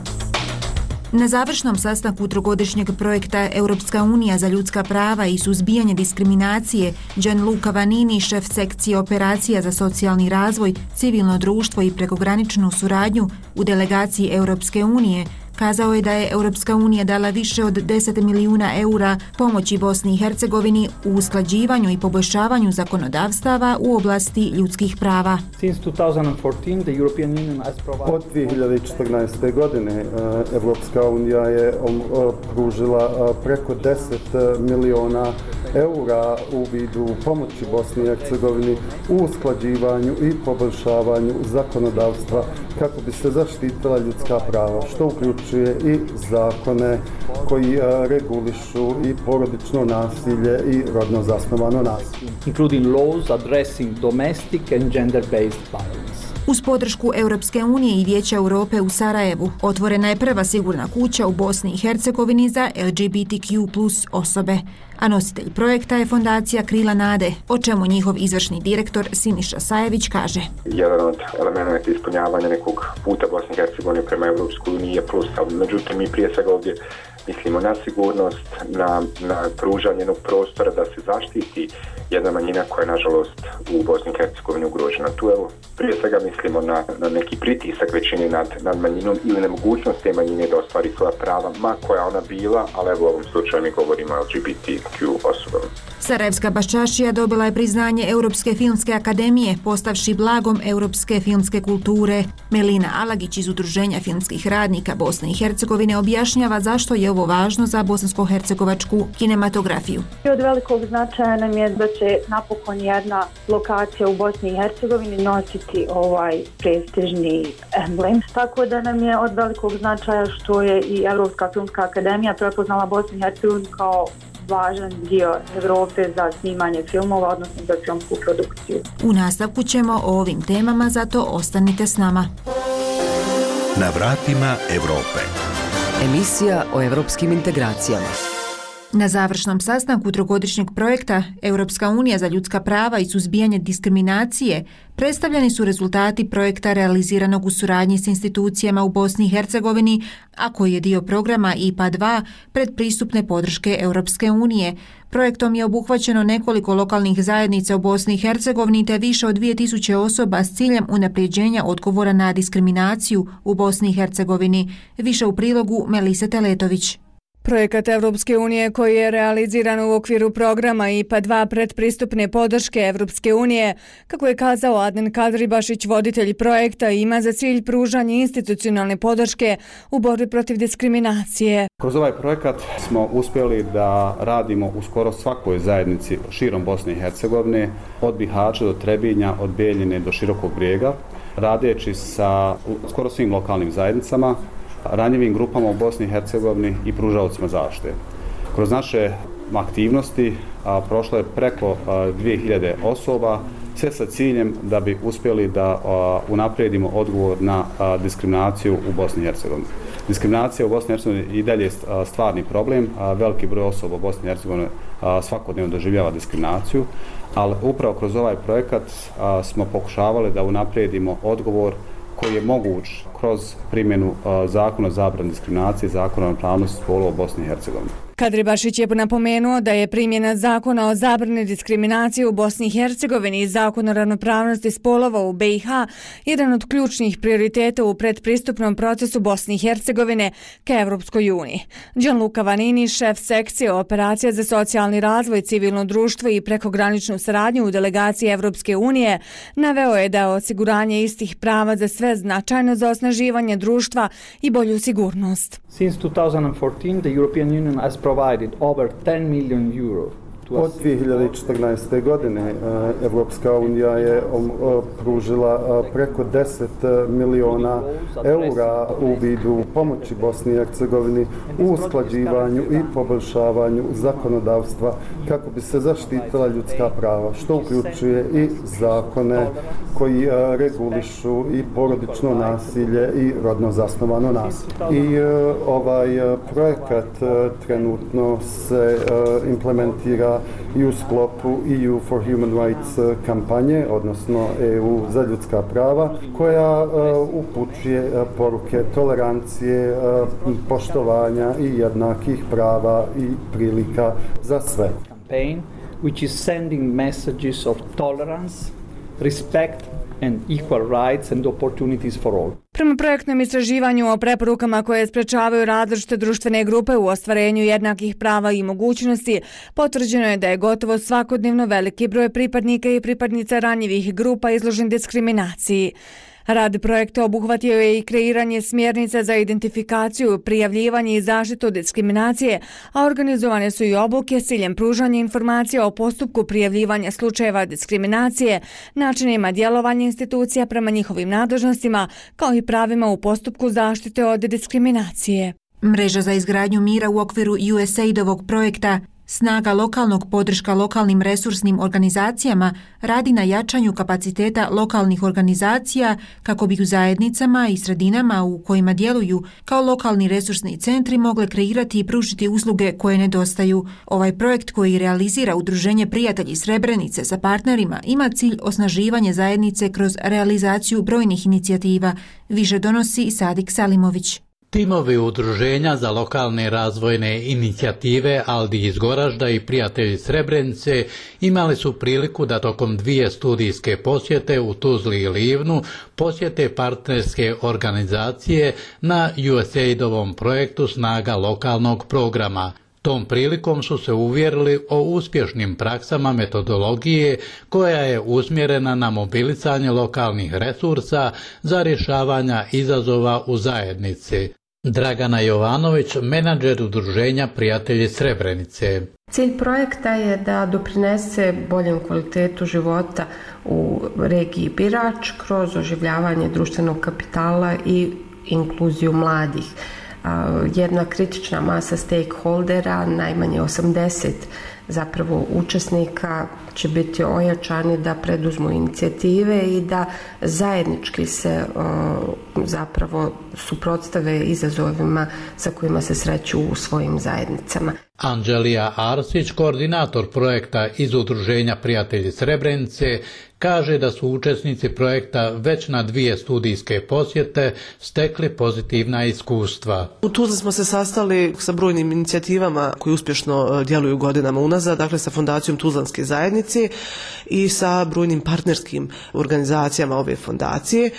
Na završnom sastanku trogodišnjeg projekta Europska unija za ljudska prava i suzbijanje diskriminacije, Gianluca Vanini, šef sekcije operacija za socijalni razvoj, civilno društvo i prekograničnu suradnju u delegaciji Europske unije, kazao je da je Europska unija dala više od 10 milijuna eura pomoći Bosni i Hercegovini u usklađivanju i poboljšavanju zakonodavstava u oblasti ljudskih prava. Od 2014. godine Europska unija je pružila preko 10 milijuna eura u vidu pomoći Bosni i Hercegovini u usklađivanju i poboljšavanju zakonodavstva kako bi se zaštitila ljudska prava, što uključuje i zakone koji regulišu i porodično nasilje i rodno zasnovano nasilje. Including laws addressing domestic and gender-based violence. Uz podršku Europske unije i Vijeća Europe u Sarajevu otvorena je prva sigurna kuća u Bosni i Hercegovini za LGBTQ+ osobe, a nositelj projekta je fondacija Krila nade, o čemu njihov izvršni direktor Siniša Sajević kaže. Jedan od elemenata ispunjavanja nekog puta Bosne i Hercegovine prema Europskoj uniji je plus, ali međutim mi prije svega ovdje mislimo na sigurnost, na pružanje jednog prostora da se zaštiti jedna manjina koja je nažalost u Bosni i Hercegovini ugrožena. Tu evo prije svega mislimo na neki pritisak većine nad manjinom ili nemogućnost te manjine da ostvari svoja prava, ma koja ona bila, ali evo u ovom slučaju mi govorimo o LGBTQ osobama. Sarajevska baščašija dobila je priznanje Europske filmske akademije, postavši blagom europske filmske kulture. Melina Alagić iz Udruženja filmskih radnika Bosne i Hercegovine objašnjava zašto je ovo važno za bosansko-hercegovačku kinematografiju. Od velikog značaja nam je da će napokon jedna lokacija u Bosni i Hercegovini nositi ovaj prestižni emblem. Tako da nam je od velikog značaja što je i Europska filmska akademija prepoznala Bosnu i Hercegovinu kao važan dio Evrope za snimanje filmova, odnosno za filmsku produkciju. U nastavku ćemo o ovim temama, zato ostanite s nama. Na vratima Evrope. Emisija o evropskim integracijama. Na završnom sastanku trogodišnjeg projekta Europska unija za ljudska prava i suzbijanje diskriminacije predstavljeni su rezultati projekta realiziranog u suradnji s institucijama u Bosni i Hercegovini, a koji je dio programa IPA 2 predpristupne podrške Europske unije. Projektom je obuhvaćeno nekoliko lokalnih zajednica u Bosni i Hercegovini te više od 2000 osoba s ciljem unapređenja odgovora na diskriminaciju u Bosni i Hercegovini. Više u prilogu Melise Teletović. Projekat Evropske unije koji je realiziran u okviru programa IPA 2 predpristupne podrške Evropske unije, kako je kazao Adnan Kadribašić, voditelj projekta, ima za cilj pružanje institucionalne podrške u borbi protiv diskriminacije. Kroz ovaj projekat smo uspjeli da radimo u skoro svakoj zajednici širom Bosne i Hercegovine, od Bihaća do Trebinja, od Bijeljine do Širokog Brijega, radeći sa skoro svim lokalnim zajednicama, ranjivim grupama u Bosni i Hercegovini i pružaocima zaštite. Kroz naše aktivnosti prošlo je preko 2000 osoba, sve sa ciljem da bi uspjeli da unaprijedimo odgovor na diskriminaciju u Bosni i Hercegovini. Diskriminacija u Bosni i Hercegovini i dalje je stvarni problem. Veliki broj osoba u Bosni i Hercegovini svakodnevno doživljava diskriminaciju, ali upravo kroz ovaj projekat smo pokušavali da unaprijedimo odgovor koji je moguć kroz primjenu zakona o zabrani diskriminacije i zakona o ravnopravnosti spolova u Bosni i Hercegovini. Kadribašić je napomenuo da je primjena zakona o zabrani diskriminacije u Bosni i Hercegovini i zakona o ravnopravnosti spolova u BiH jedan od ključnih prioriteta u predpristupnom procesu Bosne i Hercegovine ka Evropskoj uniji. Gianluca Vanini, šef sekcije operacija za socijalni razvoj, civilno društvo i prekograničnu saradnju u delegaciji Evropske unije, naveo je da je osiguranje istih prava za sve značajno za osnaživanje društva i bolju sigurnost. Since 2014, the European Union has provided over 10 million euro. Od 2014. godine Evropska unija je pružila preko 10 miliona eura u vidu pomoći Bosni i Hercegovini u usklađivanju i poboljšavanju zakonodavstva kako bi se zaštitila ljudska prava, što uključuje i zakone koji regulišu i porodično nasilje i rodno zasnovano nasilje. I ovaj projekat trenutno se implementira i u sklopu EU for Human Rights kampanje, odnosno EU za ljudska prava, koja upućuje poruke tolerancije, poštovanja i jednakih prava i prilika za sve. Campaign which is sending messages of tolerance, respect and equal rights and opportunities for all. Prema projektnom istraživanju o preporukama koje sprečavaju različite društvene grupe u ostvarenju jednakih prava i mogućnosti, potvrđeno je da je gotovo svakodnevno veliki broj pripadnika i pripadnica ranjivih grupa izložen diskriminaciji. Rad projekta obuhvatio je i kreiranje smjernica za identifikaciju, prijavljivanje i zaštitu diskriminacije, a organizovane su i obuke s ciljem pružanja informacija o postupku prijavljivanja slučajeva diskriminacije, načinima djelovanja institucija prema njihovim nadležnostima, kao i pravima u postupku zaštite od diskriminacije. Mreža za izgradnju mira u okviru USAID-ovog projekta Snaga lokalnog podrška lokalnim resursnim organizacijama radi na jačanju kapaciteta lokalnih organizacija kako bi u zajednicama i sredinama u kojima djeluju kao lokalni resursni centri mogle kreirati i pružiti usluge koje nedostaju. Ovaj projekt koji realizira Udruženje Prijatelji Srebrenice sa partnerima ima cilj osnaživanje zajednice kroz realizaciju brojnih inicijativa, više donosi Sadik Salimović. Timovi Udruženja za lokalne razvojne inicijative Aldi iz Goražda i Prijatelji Srebrenice imali su priliku da tokom 2 studijske posjete u Tuzli i Livnu posjete partnerske organizacije na USAID-ovom projektu Snaga lokalnog programa. Tom prilikom su se uvjerili o uspješnim praksama metodologije koja je usmjerena na mobilisanje lokalnih resursa za rješavanja izazova u zajednici. Dragana Jovanović, menadžer Udruženja Prijatelji Srebrenice. Cilj projekta je da doprinese boljem kvalitetu života u regiji Birač kroz oživljavanje društvenog kapitala i inkluziju mladih. Jedna kritična masa stakeholdera, najmanje 80 zapravo učesnika će biti ojačani da preduzmu inicijative i da zajednički se zapravo suprotstave izazovima sa kojima se sreću u svojim zajednicama. Anđelija Arsić, koordinator projekta iz Udruženja Prijatelji Srebrenice, kaže da su učesnici projekta već na 2 studijske posjete stekli pozitivna iskustva. U Tuzli smo se sastali sa brojnim inicijativama koji uspješno djeluju godinama unazad, dakle sa Fondacijom Tuzlanske zajednice i sa brojnim partnerskim organizacijama ove fondacije.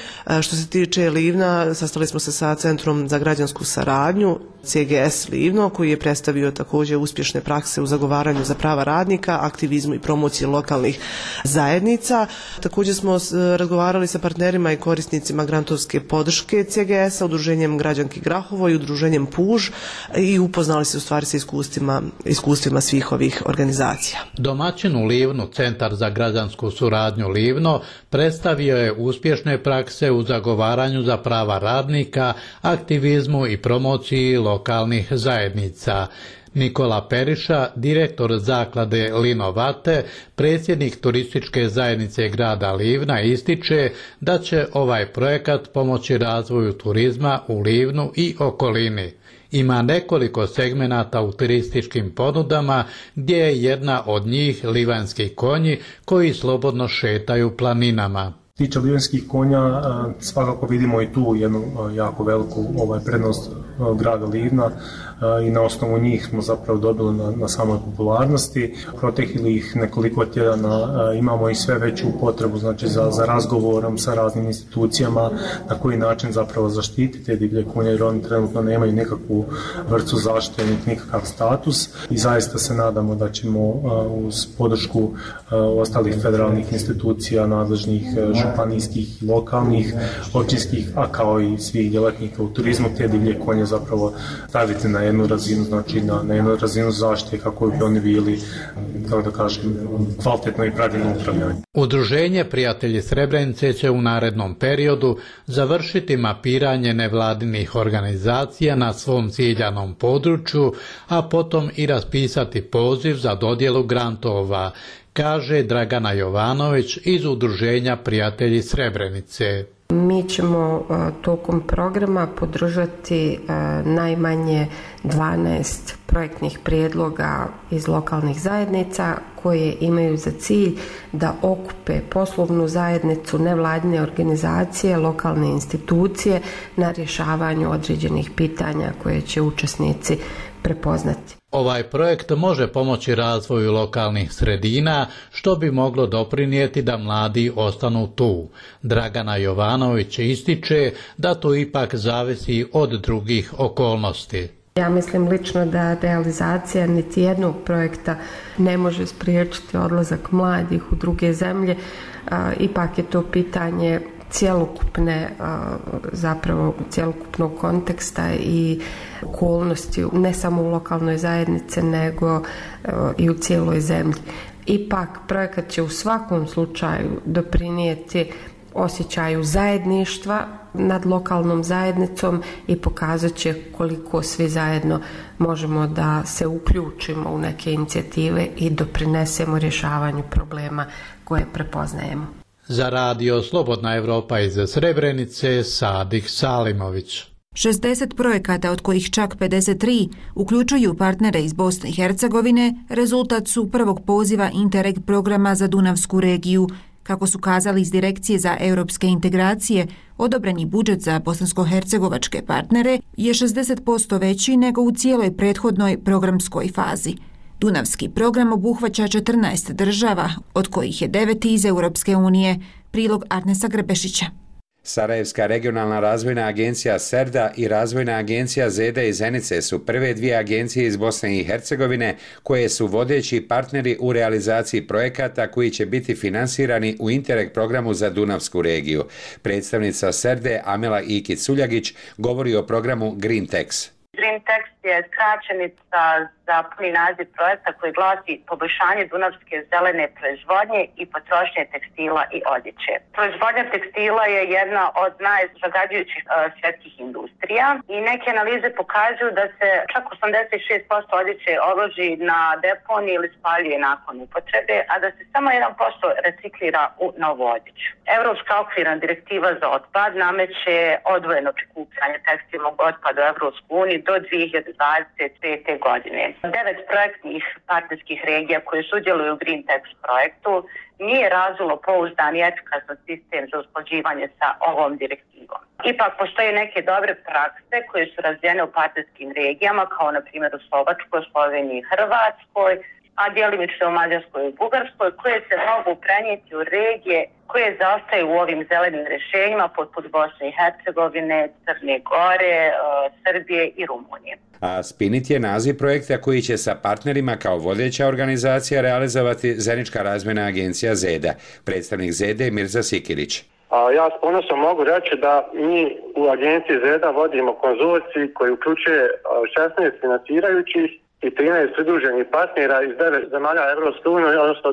Što se tiče Livna, sastali smo se sa Centrom za građansku saradnju, CGS Livno, koji je predstavio također uspješne prakse u zagovaranju za prava radnika, aktivizmu i promociji lokalnih zajednica. Također smo razgovarali sa partnerima i korisnicima grantovske podrške CGS-a, Udruženjem Građanki Grahovo i Udruženjem Puž i upoznali se u stvari sa iskustvima svih ovih organizacija. Domaćin u Livnu, Centar za građansku suradnju Livno, predstavio je uspješne prakse u zagovaranju za prava radnika, aktivizmu i promociji lokalnih zajednica. Nikola Periša, direktor zaklade Linovate, predsjednik turističke zajednice grada Livna, ističe da će ovaj projekat pomoći razvoju turizma u Livnu i okolini. Ima nekoliko segmenata u turističkim ponudama gdje je jedna od njih livanski konji koji slobodno šetaju planinama. Tiče livanskih konja, svakako vidimo i tu jednu jako veliku prednost grada Livna i na osnovu njih smo zapravo dobili na samoj popularnosti. Proteklih nekoliko tjedana imamo i sve veću potrebu za razgovorom sa raznim institucijama na koji način zapravo zaštititi te divlje konje, jer oni trenutno nemaju nikakvu vrstu zaštite, nikakav status i zaista se nadamo da ćemo uz podršku ostalih federalnih institucija, nadležnih županijskih, lokalnih, općinskih, a kao i svih djelatnika u turizmu, te divlje konje zapravo staviti na jednu razinu, znači na jednu razinu zaštite kako bi oni bili, kako da kažem, kvalitetno i pravilno upravljanje. Udruženje Prijatelji Srebrenice će u narednom periodu završiti mapiranje nevladinih organizacija na svom ciljanom području, a potom i raspisati poziv za dodjelu grantova, kaže Dragana Jovanović iz Udruženja Prijatelji Srebrenice. Mi ćemo tokom programa podržati najmanje 12 projektnih prijedloga iz lokalnih zajednica koje imaju za cilj da okupe poslovnu zajednicu, nevladine organizacije, lokalne institucije na rješavanju određenih pitanja koje će učesnici prepoznati. Ovaj projekt može pomoći razvoju lokalnih sredina, što bi moglo doprinijeti da mladi ostanu tu. Dragana Jovanović ističe da to ipak zavisi od drugih okolnosti. Ja mislim lično da realizacija niti jednog projekta ne može spriječiti odlazak mladih u druge zemlje. Ipak je to pitanje cjelokupnog konteksta i okolnosti, ne samo u lokalnoj zajednici, nego i u cijeloj zemlji. Ipak projekat će u svakom slučaju doprinijeti osjećaju zajedništva nad lokalnom zajednicom i pokazat će koliko svi zajedno možemo da se uključimo u neke inicijative i doprinesemo rješavanju problema koje prepoznajemo. Za radio Slobodna Evropa iz Srebrenice, Sadih Salimović. 60 projekata, od kojih čak 53 uključuju partnere iz Bosne i Hercegovine, rezultat su prvog poziva Interreg programa za Dunavsku regiju. Kako su kazali iz Direkcije za europske integracije, odobreni budžet za bosansko-hercegovačke partnere je 60% veći nego u cijeloj prethodnoj programskoj fazi. Dunavski program obuhvaća 14 država, od kojih je 9 iz Europske unije. Prilog Arnesa Grbešića. Sarajevska regionalna razvojna agencija SERDA i razvojna agencija ZEDA iz Zenice su prve dvije agencije iz Bosne i Hercegovine koje su vodeći partneri u realizaciji projekata koji će biti finansirani u Interreg programu za Dunavsku regiju. Predstavnica SERDE Amela Ikić-Suljagić govori o programu GreenTex. GreenTex je skraćenica za puni naziv projekta koji glasi poboljšanje dunavske zelene proizvodnje i potrošnje tekstila i odjeće. Proizvodnja tekstila je jedna od najzagađujućih svjetskih industrija i neke analize pokazuju da se čak 86% odjeće odloži na deponiji ili spaljuje nakon upotrebe, a da se samo 1% reciklira u novu odjeću. Evropska okvirna direktiva za otpad nameće odvojeno prikupljanje tekstilnog otpada u Evropsku uniju do 2025. godine. 9 projektnih partnerskih regija koje sudjeluju u GreenTex projektu nije razvilo pouzdan i efikasan sistem za usklađivanje sa ovom direktivom. Ipak postoje neke dobre prakse koje su razvijene u partnerskim regijama, kao na primjer u Slovačkoj, Sloveniji i Hrvatskoj, a djelimično u Mađarskoj i Bugarskoj, koje se mogu prenijeti u regije koje zaostaju u ovim zelenim rješenjima poput Bosne i Hercegovine, Crne Gore, Srbije i Rumunije. A Spinit je naziv projekta koji će sa partnerima kao vodeća organizacija realizovati Zenička razvojna agencija ZEDA. Predstavnik ZEDA je Mirza Sikirić. Ja s ponosom mogu reći da mi u agenciji ZEDA vodimo konzorcij koji uključuje 16 financirajućih i 13 pridruženih partnera iz 9 zemalja Evropske unije, odnosno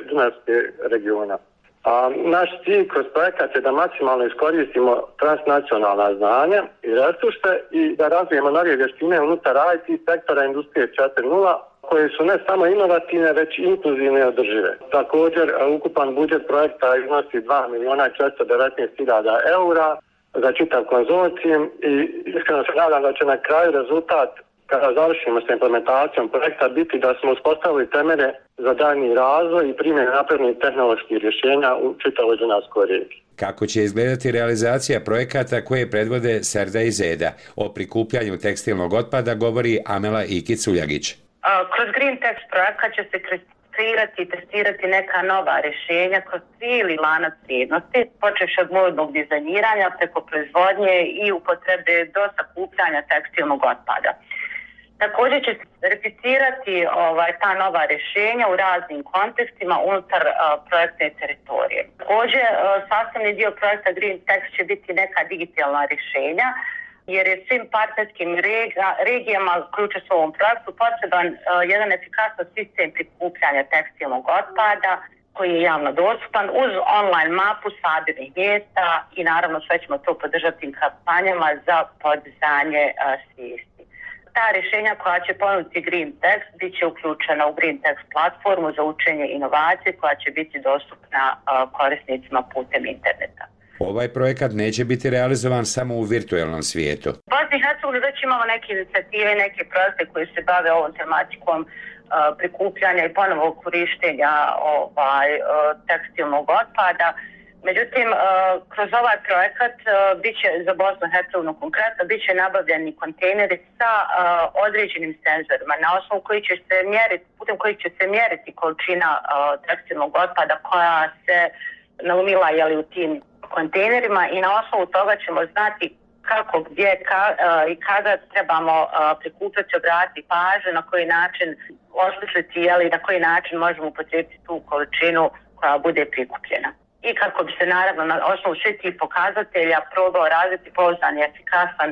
Dunavske regiona. A naš cilj kroz projekat je da maksimalno iskoristimo transnacionalna znanja i resurse i da razvijemo nove vještine unutar IT sektora industrije 4.0 koje su ne samo inovativne, već i inkluzivne i održive. Također, ukupan budžet projekta iznosi 2.419.000 eura za čitav konzorcijum i iskreno se nadam da će na kraju rezultat, kada završimo sa implementacijom projekta, biti da smo uspostavili temelje za daljnji razvoj i primjenu naprednih tehnoloških rješenja u čitavoj Dunavskoj regiji. Kako će izgledati realizacija projekata koje predvode Serda i Zeda? O prikupljanju tekstilnog otpada govori Amela Ikić-Uljagić. Kroz Green Text projekat će se kreirati i testirati neka nova rješenja kroz cijeli lanac vrijednosti, počevši od modnog dizajniranja preko proizvodnje i upotrebe do sakupljanja tekstilnog otpada. Također će se verificirati ta nova rješenja u raznim kontekstima unutar projektne teritorije. Također, sastavni dio projekta Green Text će biti neka digitalna rješenja, jer je svim partnerskim regijama uključujući u ovom projektu potreban jedan efikasan sistem prikupljanja tekstilnog otpada koji je javno dostupan uz online mapu sabirnih mjesta i naravno sve ćemo to podržati kampanjama za podizanje svijesti. Ta rješenja koja će ponuditi Green Text bit će uključena u Green Text platformu za učenje inovacije koja će biti dostupna korisnicima putem interneta. Ovaj projekat neće biti realizovan samo u virtualnom svijetu. U Bosni i Hercegovini već imamo neke inicijative, neke projekte koji se bave ovom tematikom prikupljanja i ponovog korištenja tekstilnog otpada. Međutim, kroz ovaj projekat biće za Bosnu i Hercegovinu konkretno biće nabavljeni kontejneri sa određenim senzorima na osnovu koji će se mjeriti, putem kojih će se mjeriti količina tekstilnog otpada koja se naumila u tim kontejnerima i na osnovu toga ćemo znati kako, gdje i kada trebamo prikupljati, obratiti pažnju, na koji način osmisliti na koji način možemo upotrijebiti tu količinu koja bude prikupljena. I kako bi se naravno na osnovu svih tih pokazatelja probao razviti pouzdan i efikasan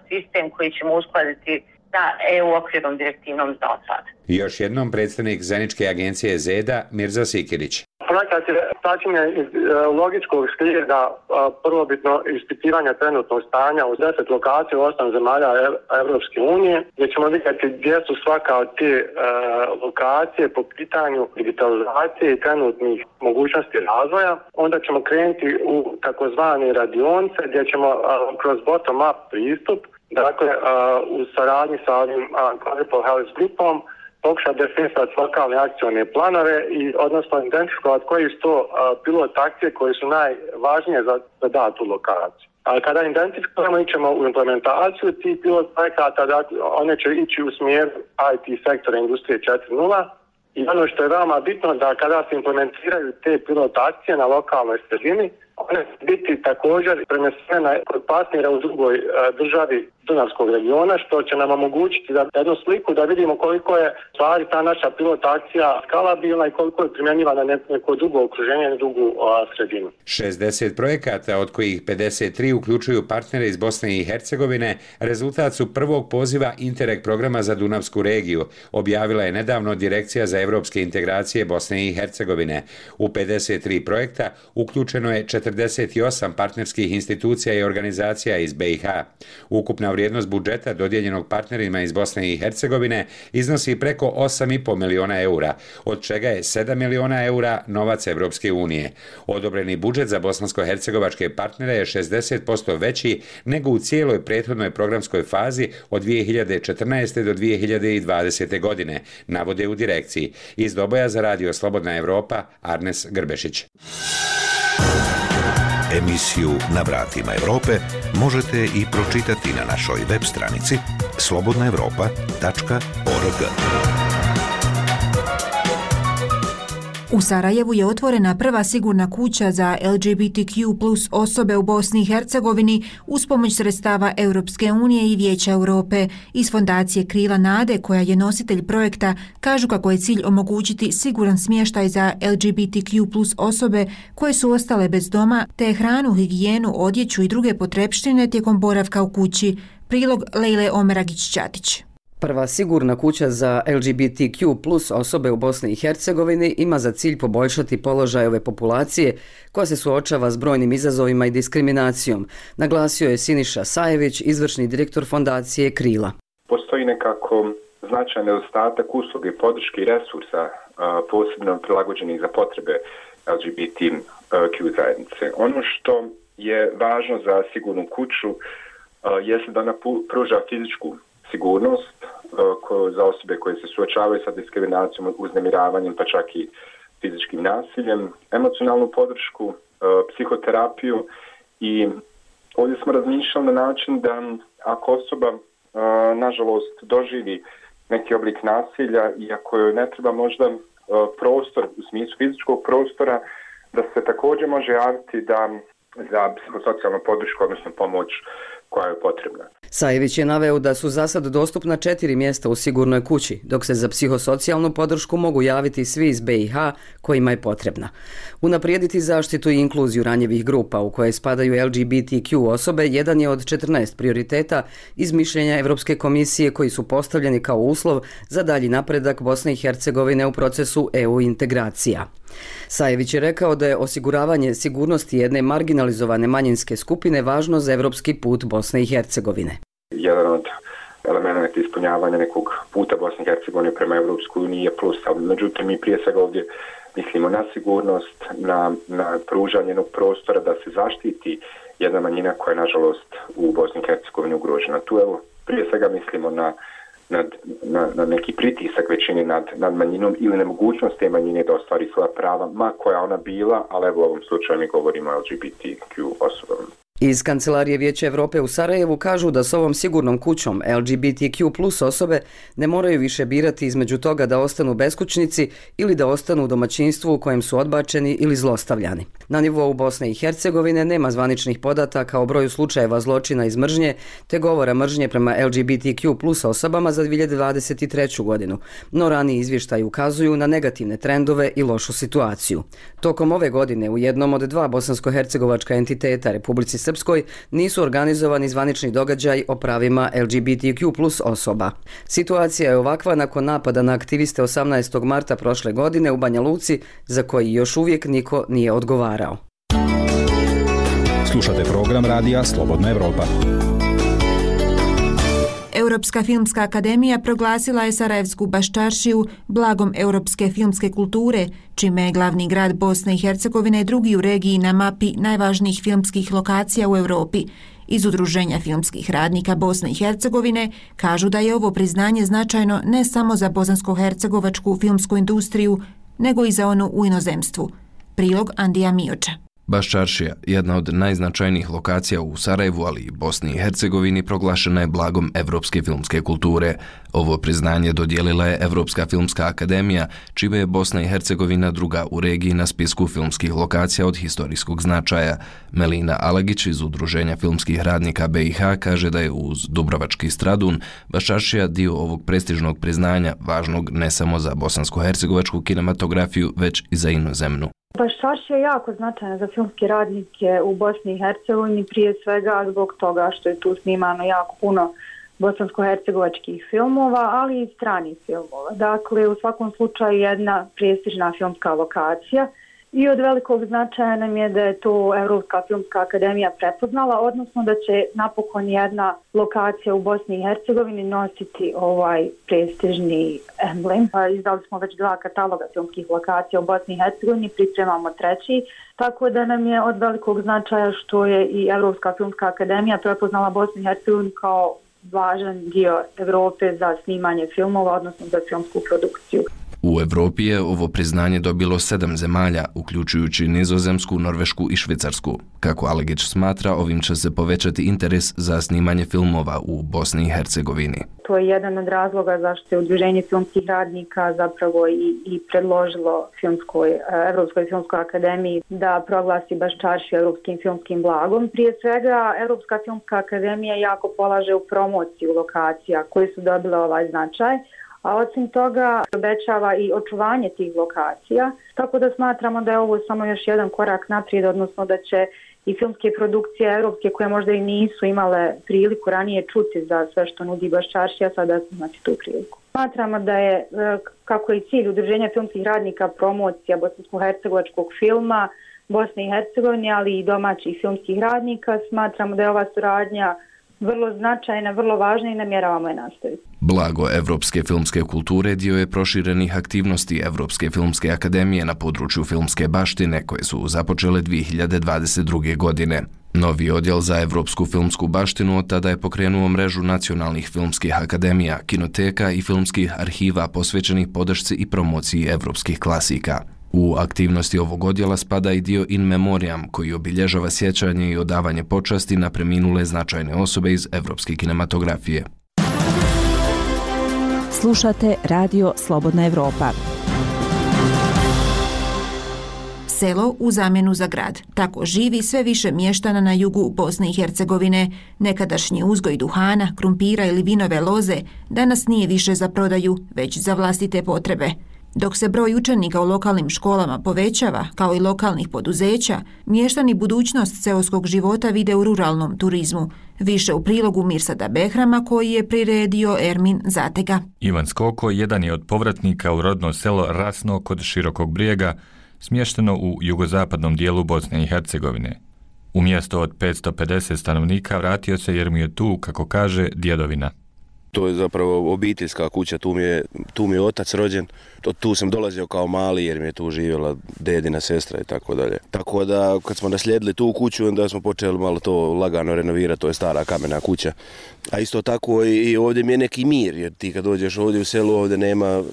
sistem koji ćemo uskladiti sa EU okvirnom direktivnom za otpad. Još jednom predstavnik zajedničke agencije Zeda Mirza Sikirić. Projekat je sačinjen iz logičkog slijeda prvobitno ispitivanja trenutnog stanja u 10 lokacija u 8 zemalja Evropske unije, gdje ćemo vidjeti gdje su svaka od te lokacije po pitanju digitalizacije i trenutnih mogućnosti razvoja. Onda ćemo krenuti u takozvane radionice gdje ćemo kroz bottom-up pristup, dakle u saradnji sa ovim Quadruple Health grupom, pokušati definisati lokalne akcione planove i odnosno identifikovati koji su to pilot akcije koje su najvažnije za datu lokaciju. A kada identifikujemo, ićemo u implementaciju tih pilot projekata, dakle, one će ići u smjeru IT sektora industrije 4.0 i ono što je veoma bitno da kada se implementiraju te pilot akcije na lokalnoj sredini, one će biti također prenesene kod partnera u drugoj državi Dunavskog regiona, što će nam omogućiti da jednu sliku da vidimo koliko je stvari ta naša pilot akcija skalabilna i koliko je primjenjivana na neko drugo okruženje, na drugu sredinu. 60 projekata, od kojih 53 uključuju partnere iz Bosne i Hercegovine, rezultat su prvog poziva Interreg programa za Dunavsku regiju, objavila je nedavno Direkcija za evropske integracije Bosne i Hercegovine. U 53 projekta uključeno je 48 partnerskih institucija i organizacija iz BiH. Ukupna vrijednost budžeta dodijeljenog partnerima iz Bosne i Hercegovine iznosi preko 8,5 miliona eura, od čega je 7 miliona eura novac Evropske unije. Odobreni budžet za bosansko-hercegovačke partnere je 60% veći nego u cijeloj prethodnoj programskoj fazi od 2014. do 2020. godine, navode u direkciji. Iz Doboja za Radio Slobodna Evropa, Arnes Grbešić. Emisiju Na vratima Evrope možete i pročitati na našoj web stranici slobodnaevropa.org. U Sarajevu je otvorena prva sigurna kuća za LGBTQ plus osobe u Bosni i Hercegovini uz pomoć sredstava Europske unije i Vijeća Europe. Iz fondacije Krila nade, koja je nositelj projekta, kažu kako je cilj omogućiti siguran smještaj za LGBTQ plus osobe koje su ostale bez doma, te hranu, higijenu, odjeću i druge potrepštine tijekom boravka u kući. Prilog Lejle Omeragić-Ćatić. Prva sigurna kuća za LGBTQ plus osobe u Bosni i Hercegovini ima za cilj poboljšati položaj ove populacije koja se suočava s brojnim izazovima i diskriminacijom, naglasio je Siniša Sajević, izvršni direktor fondacije Krila. Postoji nekako značajan nedostatak usluge, podrške i resursa posebno prilagođenih za potrebe LGBTQ zajednice. Ono što je važno za sigurnu kuću jeste da ona pruža fizičku sigurnost za osobe koje se suočavaju sa diskriminacijom, uznemiravanjem, pa čak i fizičkim nasiljem, emocionalnu podršku, psihoterapiju i ovdje smo razmišljali na način da ako osoba nažalost doživi neki oblik nasilja i ako joj ne treba možda prostor u smislu fizičkog prostora, da se također može javiti za psihosocijalnu podršku, odnosno pomoć koja je potrebna. Sajević je naveo da su za sad dostupna 4 mjesta u sigurnoj kući, dok se za psihosocijalnu podršku mogu javiti svi iz BiH kojima je potrebna. Unaprijediti zaštitu i inkluziju ranjivih grupa u koje spadaju LGBTQ osobe jedan je od 14 prioriteta iz mišljenja Europske komisije koji su postavljeni kao uslov za dalji napredak Bosne i Hercegovine u procesu EU integracija. Sajević je rekao da je osiguravanje sigurnosti jedne marginalizovane manjinske skupine važno za evropski put Bosne i Hercegovine. Jedan od elemenata ispunjavanja nekog puta Bosne i Hercegovine prema Evropskoj uniji je plus, ali međutim mi prije svega ovdje mislimo na sigurnost, na pružanje jednog prostora da se zaštiti jedna manjina koja je nažalost u Bosni i Hercegovini ugrožena. Tu evo prije svega mislimo na neki pritisak većine nad manjinom ili nemogućnost te manjine da ostvari svoja prava, ma koja ona bila, ali evo u ovom slučaju mi govorimo o LGBTQ osobama. Iz Kancelarije Vijeća Europe u Sarajevu kažu da s ovom sigurnom kućom LGBTQ plus osobe ne moraju više birati između toga da ostanu beskućnici ili da ostanu u domaćinstvu u kojem su odbačeni ili zlostavljani. Na nivou Bosne i Hercegovine nema zvaničnih podataka o broju slučajeva zločina iz mržnje te govora mržnje prema LGBTQ plus osobama za 2023. godinu, no raniji izvještaji ukazuju na negativne trendove i lošu situaciju. Tokom ove godine u jednom od 2 bosansko-hercegovačka entiteta Republici Srpskoj nisu organizovani zvanični događaj o pravima LGBTQ plus osoba. Situacija je ovakva nakon napada na aktiviste 18. marta prošle godine u Banja Luci, za koji još uvijek niko nije odgovarao. Slušate program radija Slobodna Evropa. Europska filmska akademija proglasila je Sarajevsku baščaršiju blagom europske filmske kulture, čime je glavni grad Bosne i Hercegovine drugi u regiji na mapi najvažnijih filmskih lokacija u Europi. Iz Udruženja filmskih radnika Bosne i Hercegovine kažu da je ovo priznanje značajno ne samo za bosansko-hercegovačku filmsku industriju, nego i za onu u inozemstvu. Prilog Andija Mioča. Baščaršija, jedna od najznačajnijih lokacija u Sarajevu, ali i Bosni i Hercegovini, proglašena je blagom evropske filmske kulture. Ovo priznanje dodijelila je Evropska filmska akademija, čime je Bosna i Hercegovina druga u regiji na spisku filmskih lokacija od historijskog značaja. Melina Alagić iz Udruženja filmskih radnika BiH kaže da je uz Dubrovački Stradun Baščaršija dio ovog prestižnog priznanja, važnog ne samo za bosansko-hercegovačku kinematografiju, već i za inozemnu. Baščaršija je jako značajna za filmske radnike u Bosni i Hercegovini, prije svega zbog toga što je tu snimano jako puno bosansko-hercegovačkih filmova, ali i stranih filmova. Dakle, u svakom slučaju jedna prestižna filmska lokacija i od velikog značaja nam je da je to Evropska filmska akademija prepoznala, odnosno da će napokon jedna lokacija u Bosni i Hercegovini nositi ovaj prestižni emblem. Izdali smo već 2 kataloga filmskih lokacija u Bosni i Hercegovini, pripremamo 3, tako da nam je od velikog značaja što je i Evropska filmska akademija prepoznala Bosnu i Hercegovinu kao važan dio Evrope za snimanje filmova, odnosno za filmsku produkciju. U Evropi je ovo priznanje dobilo 7 zemalja, uključujući Nizozemsku, Norvešku i Švicarsku. Kako Alegić smatra, ovim će se povećati interes za snimanje filmova u Bosni i Hercegovini. To je jedan od razloga zašto je Udruženje filmskih radnika zapravo i predložilo Evropskoj filmskoj akademiji da proglasi Baščaršiju evropskim filmskim blagom. Prije svega, Evropska filmska akademija jako polaže u promociju lokacija koje su dobile ovaj značaj, a osim toga obećava i očuvanje tih lokacija, tako da smatramo da je ovo samo još jedan korak naprijed, odnosno da će i filmske produkcije europske koje možda i nisu imale priliku ranije čuti za sve što nudi Baščaršija, sada imati tu priliku. Smatramo da je, kako je cilj Udruženja filmskih radnika, promocija bosansko-hercegovačkog filma Bosne i Hercegovine, ali i domaćih filmskih radnika, smatramo da je ova suradnja vrlo značajna, vrlo važna i namjeravamo je nastaviti. Blago Evropske filmske kulture dio je proširenih aktivnosti Evropske filmske akademije na području filmske baštine koje su započele 2022. godine. Novi odjel za evropsku filmsku baštinu od tada je pokrenuo mrežu nacionalnih filmskih akademija, kinoteka i filmskih arhiva posvećenih podršci i promociji evropskih klasika. U aktivnosti ovog odjela spada i dio In Memoriam, koji obilježava sjećanje i odavanje počasti na preminule značajne osobe iz evropske kinematografije. Slušate Radio Slobodna Evropa. Selo u zamjenu za grad. Tako živi sve više mještana na jugu Bosne i Hercegovine. Nekadašnji uzgoj duhana, krumpira ili vinove loze danas nije više za prodaju, već za vlastite potrebe. Dok se broj učenika u lokalnim školama povećava, kao i lokalnih poduzeća, mještani budućnost seoskog života vide u ruralnom turizmu. Više u prilogu Mirsada Behrama koji je priredio Ermin Zatega. Ivan Skoko jedan je od povratnika u rodno selo Rasno kod Širokog Brijega, smješteno u jugozapadnom dijelu Bosne i Hercegovine. U mjesto od 550 stanovnika vratio se jer mu je tu, kako kaže, djedovina. To je zapravo obiteljska kuća, tu mi je otac rođen, tu sam dolazio kao mali jer mi je tu živjela dedina sestra i tako dalje. Tako da kad smo naslijedili tu kuću, onda smo počeli malo to lagano renovirati, to je stara kamena kuća. A isto tako i ovdje mi je neki mir, jer ti kad dođeš ovdje u selu, ovdje nema,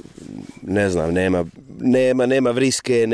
ne znam, nema vriske,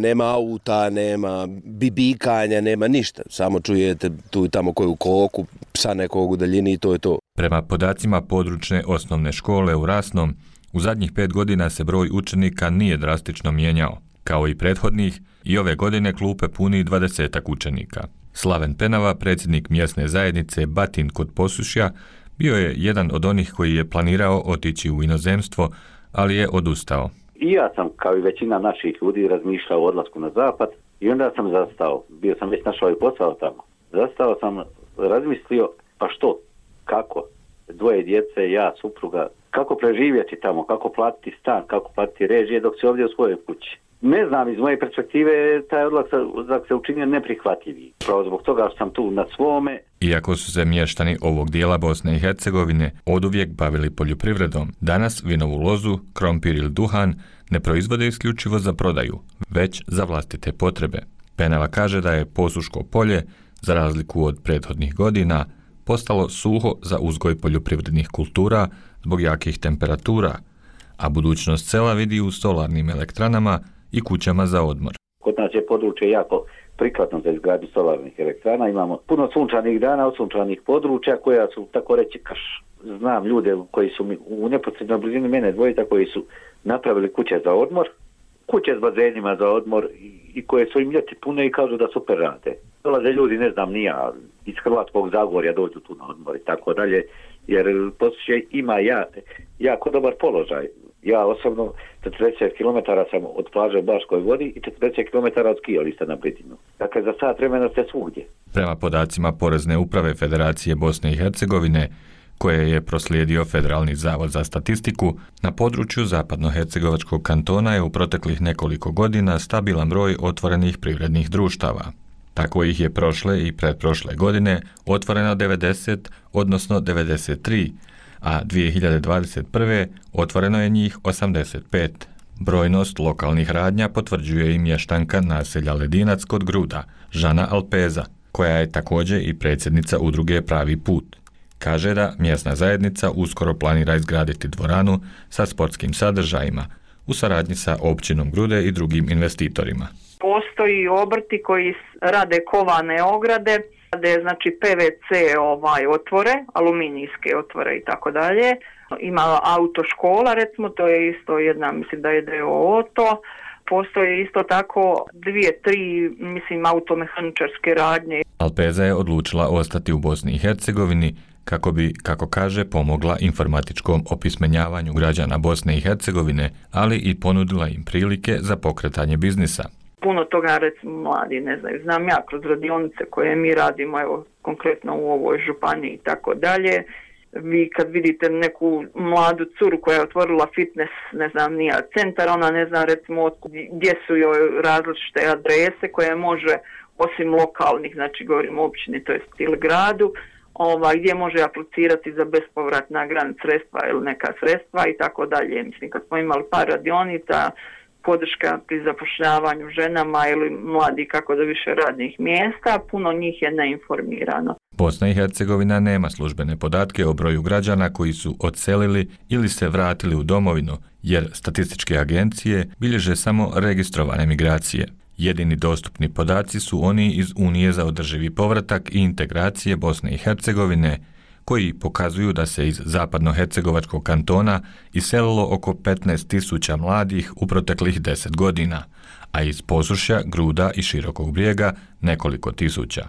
nema auta, nema bibikanja, nema ništa. Samo čujete tu i tamo koju koku, psa nekog u daljini i to je to. Prema podacima područne osnovne škole u Rasnom, u zadnjih 5 godina se broj učenika nije drastično mijenjao. Kao i prethodnih, i ove godine klupe puni 20 učenika. Slaven Penava, predsjednik mjesne zajednice Batin kod Posušja, bio je jedan od onih koji je planirao otići u inozemstvo, ali je odustao. I ja sam, kao i većina naših ljudi, razmišljao o odlasku na zapad i onda sam zastao. Bio sam već našao i posao tamo. Zastao sam, razmislio, pa što, kako, 2 djece, ja, supruga, kako preživjeti tamo, kako platiti stan, kako platiti režije dok si ovdje u svojoj kući. Ne znam, iz moje perspektive taj odlazak se učinio neprihvatljiviji. Pravo zbog toga što sam tu na svome. Iako su se mještani ovog dijela Bosne i Hercegovine oduvijek bavili poljoprivredom, danas vinovu lozu, krompir ili duhan ne proizvode isključivo za prodaju, već za vlastite potrebe. Penava kaže da je Posuško polje, za razliku od prethodnih godina, postalo suho za uzgoj poljoprivrednih kultura zbog jakih temperatura, a budućnost sela vidi u solarnim elektranama i kućama za odmor. Kod nas je područje jako prikladno za izgradnju solarnih elektrana. Imamo puno sunčanih dana, osunčanih područja koja su, tako reći, znam ljude koji su u neposrednoj blizini mene dvojica koji su napravili kuće za odmor, kuće s bazenima za odmor i koje su im ljeti pune i kažu da super rade. Dolaze ljudi, ne znam, nija iz Hrvatskog Zagorja dođu tu na odmor i tako dalje, jer Posušje ima jako dobar položaj. Ja osobno 40 km sam od plaže u Baškoj vodi i 40 km od skijališta na Britinu. Dakle, za sat vremena ste svugdje. Prema podacima Porezne uprave Federacije Bosne i Hercegovine, koje je proslijedio Federalni zavod za statistiku, na području zapadnohercegovačkog kantona je u proteklih nekoliko godina stabilan broj otvorenih privrednih društava. Tako ih je prošle i pretprošle godine otvoreno 90, odnosno 93, a 2021. otvoreno je njih 85. Brojnost lokalnih radnja potvrđuje i mještanka naselja Ledinac kod Gruda, Žana Alpeza, koja je također i predsjednica udruge Pravi put. Kaže da mjesna zajednica uskoro planira izgraditi dvoranu sa sportskim sadržajima u saradnji sa općinom Grude i drugim investitorima. Postoji obrti koji rade kovane ograde, rade znači PVC otvore, aluminijske otvore i tako dalje. Ima autoškola, recimo, to je isto jedna, mislim da je DOO to. Postoje isto tako 2-3, mislim, automehaničarske radnje. Alpeza je odlučila ostati u Bosni i Hercegovini kako bi, kako kaže, pomogla informatičkom opismenjavanju građana Bosne i Hercegovine, ali i ponudila im prilike za pokretanje biznisa. puno toga recimo mladi ne znaju. Znam ja kroz radionice koje mi radimo, evo konkretno u ovoj županiji i tako dalje. Vi kad vidite neku mladu curu koja je otvorila fitness, ne znam, nija centar, ona ne zna recimo gdje su joj različite adrese koje može, osim lokalnih, znači govorimo o općini, to jest ili gradu, gdje može aplicirati za bespovratna grant sredstva ili neka sredstva i tako dalje. Mislim, kad smo imali par radionica, podrška pri zapošljavanju ženama ili mladi kako do više radnih mjesta, puno njih je neinformirano. Bosna i Hercegovina nema službene podatke o broju građana koji su odselili ili se vratili u domovinu, jer statističke agencije bilježe samo registrovane migracije. Jedini dostupni podaci su oni iz Unije za održivi povratak i integracije Bosne i Hercegovine, koji pokazuju da se iz zapadnohercegovačkog kantona iselilo oko 15.000 mladih u proteklih 10 godina, a iz Posušja, Gruda i Širokog Brijega nekoliko tisuća.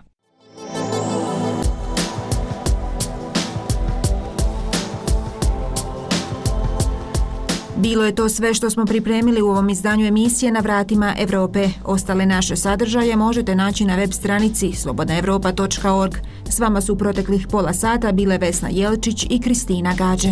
Bilo je to sve što smo pripremili u ovom izdanju emisije Na vratima Evrope. Ostale naše sadržaje možete naći na web stranici slobodnaevropa.org. S vama su u proteklih pola sata bile Vesna Jelčić i Kristina Gađe.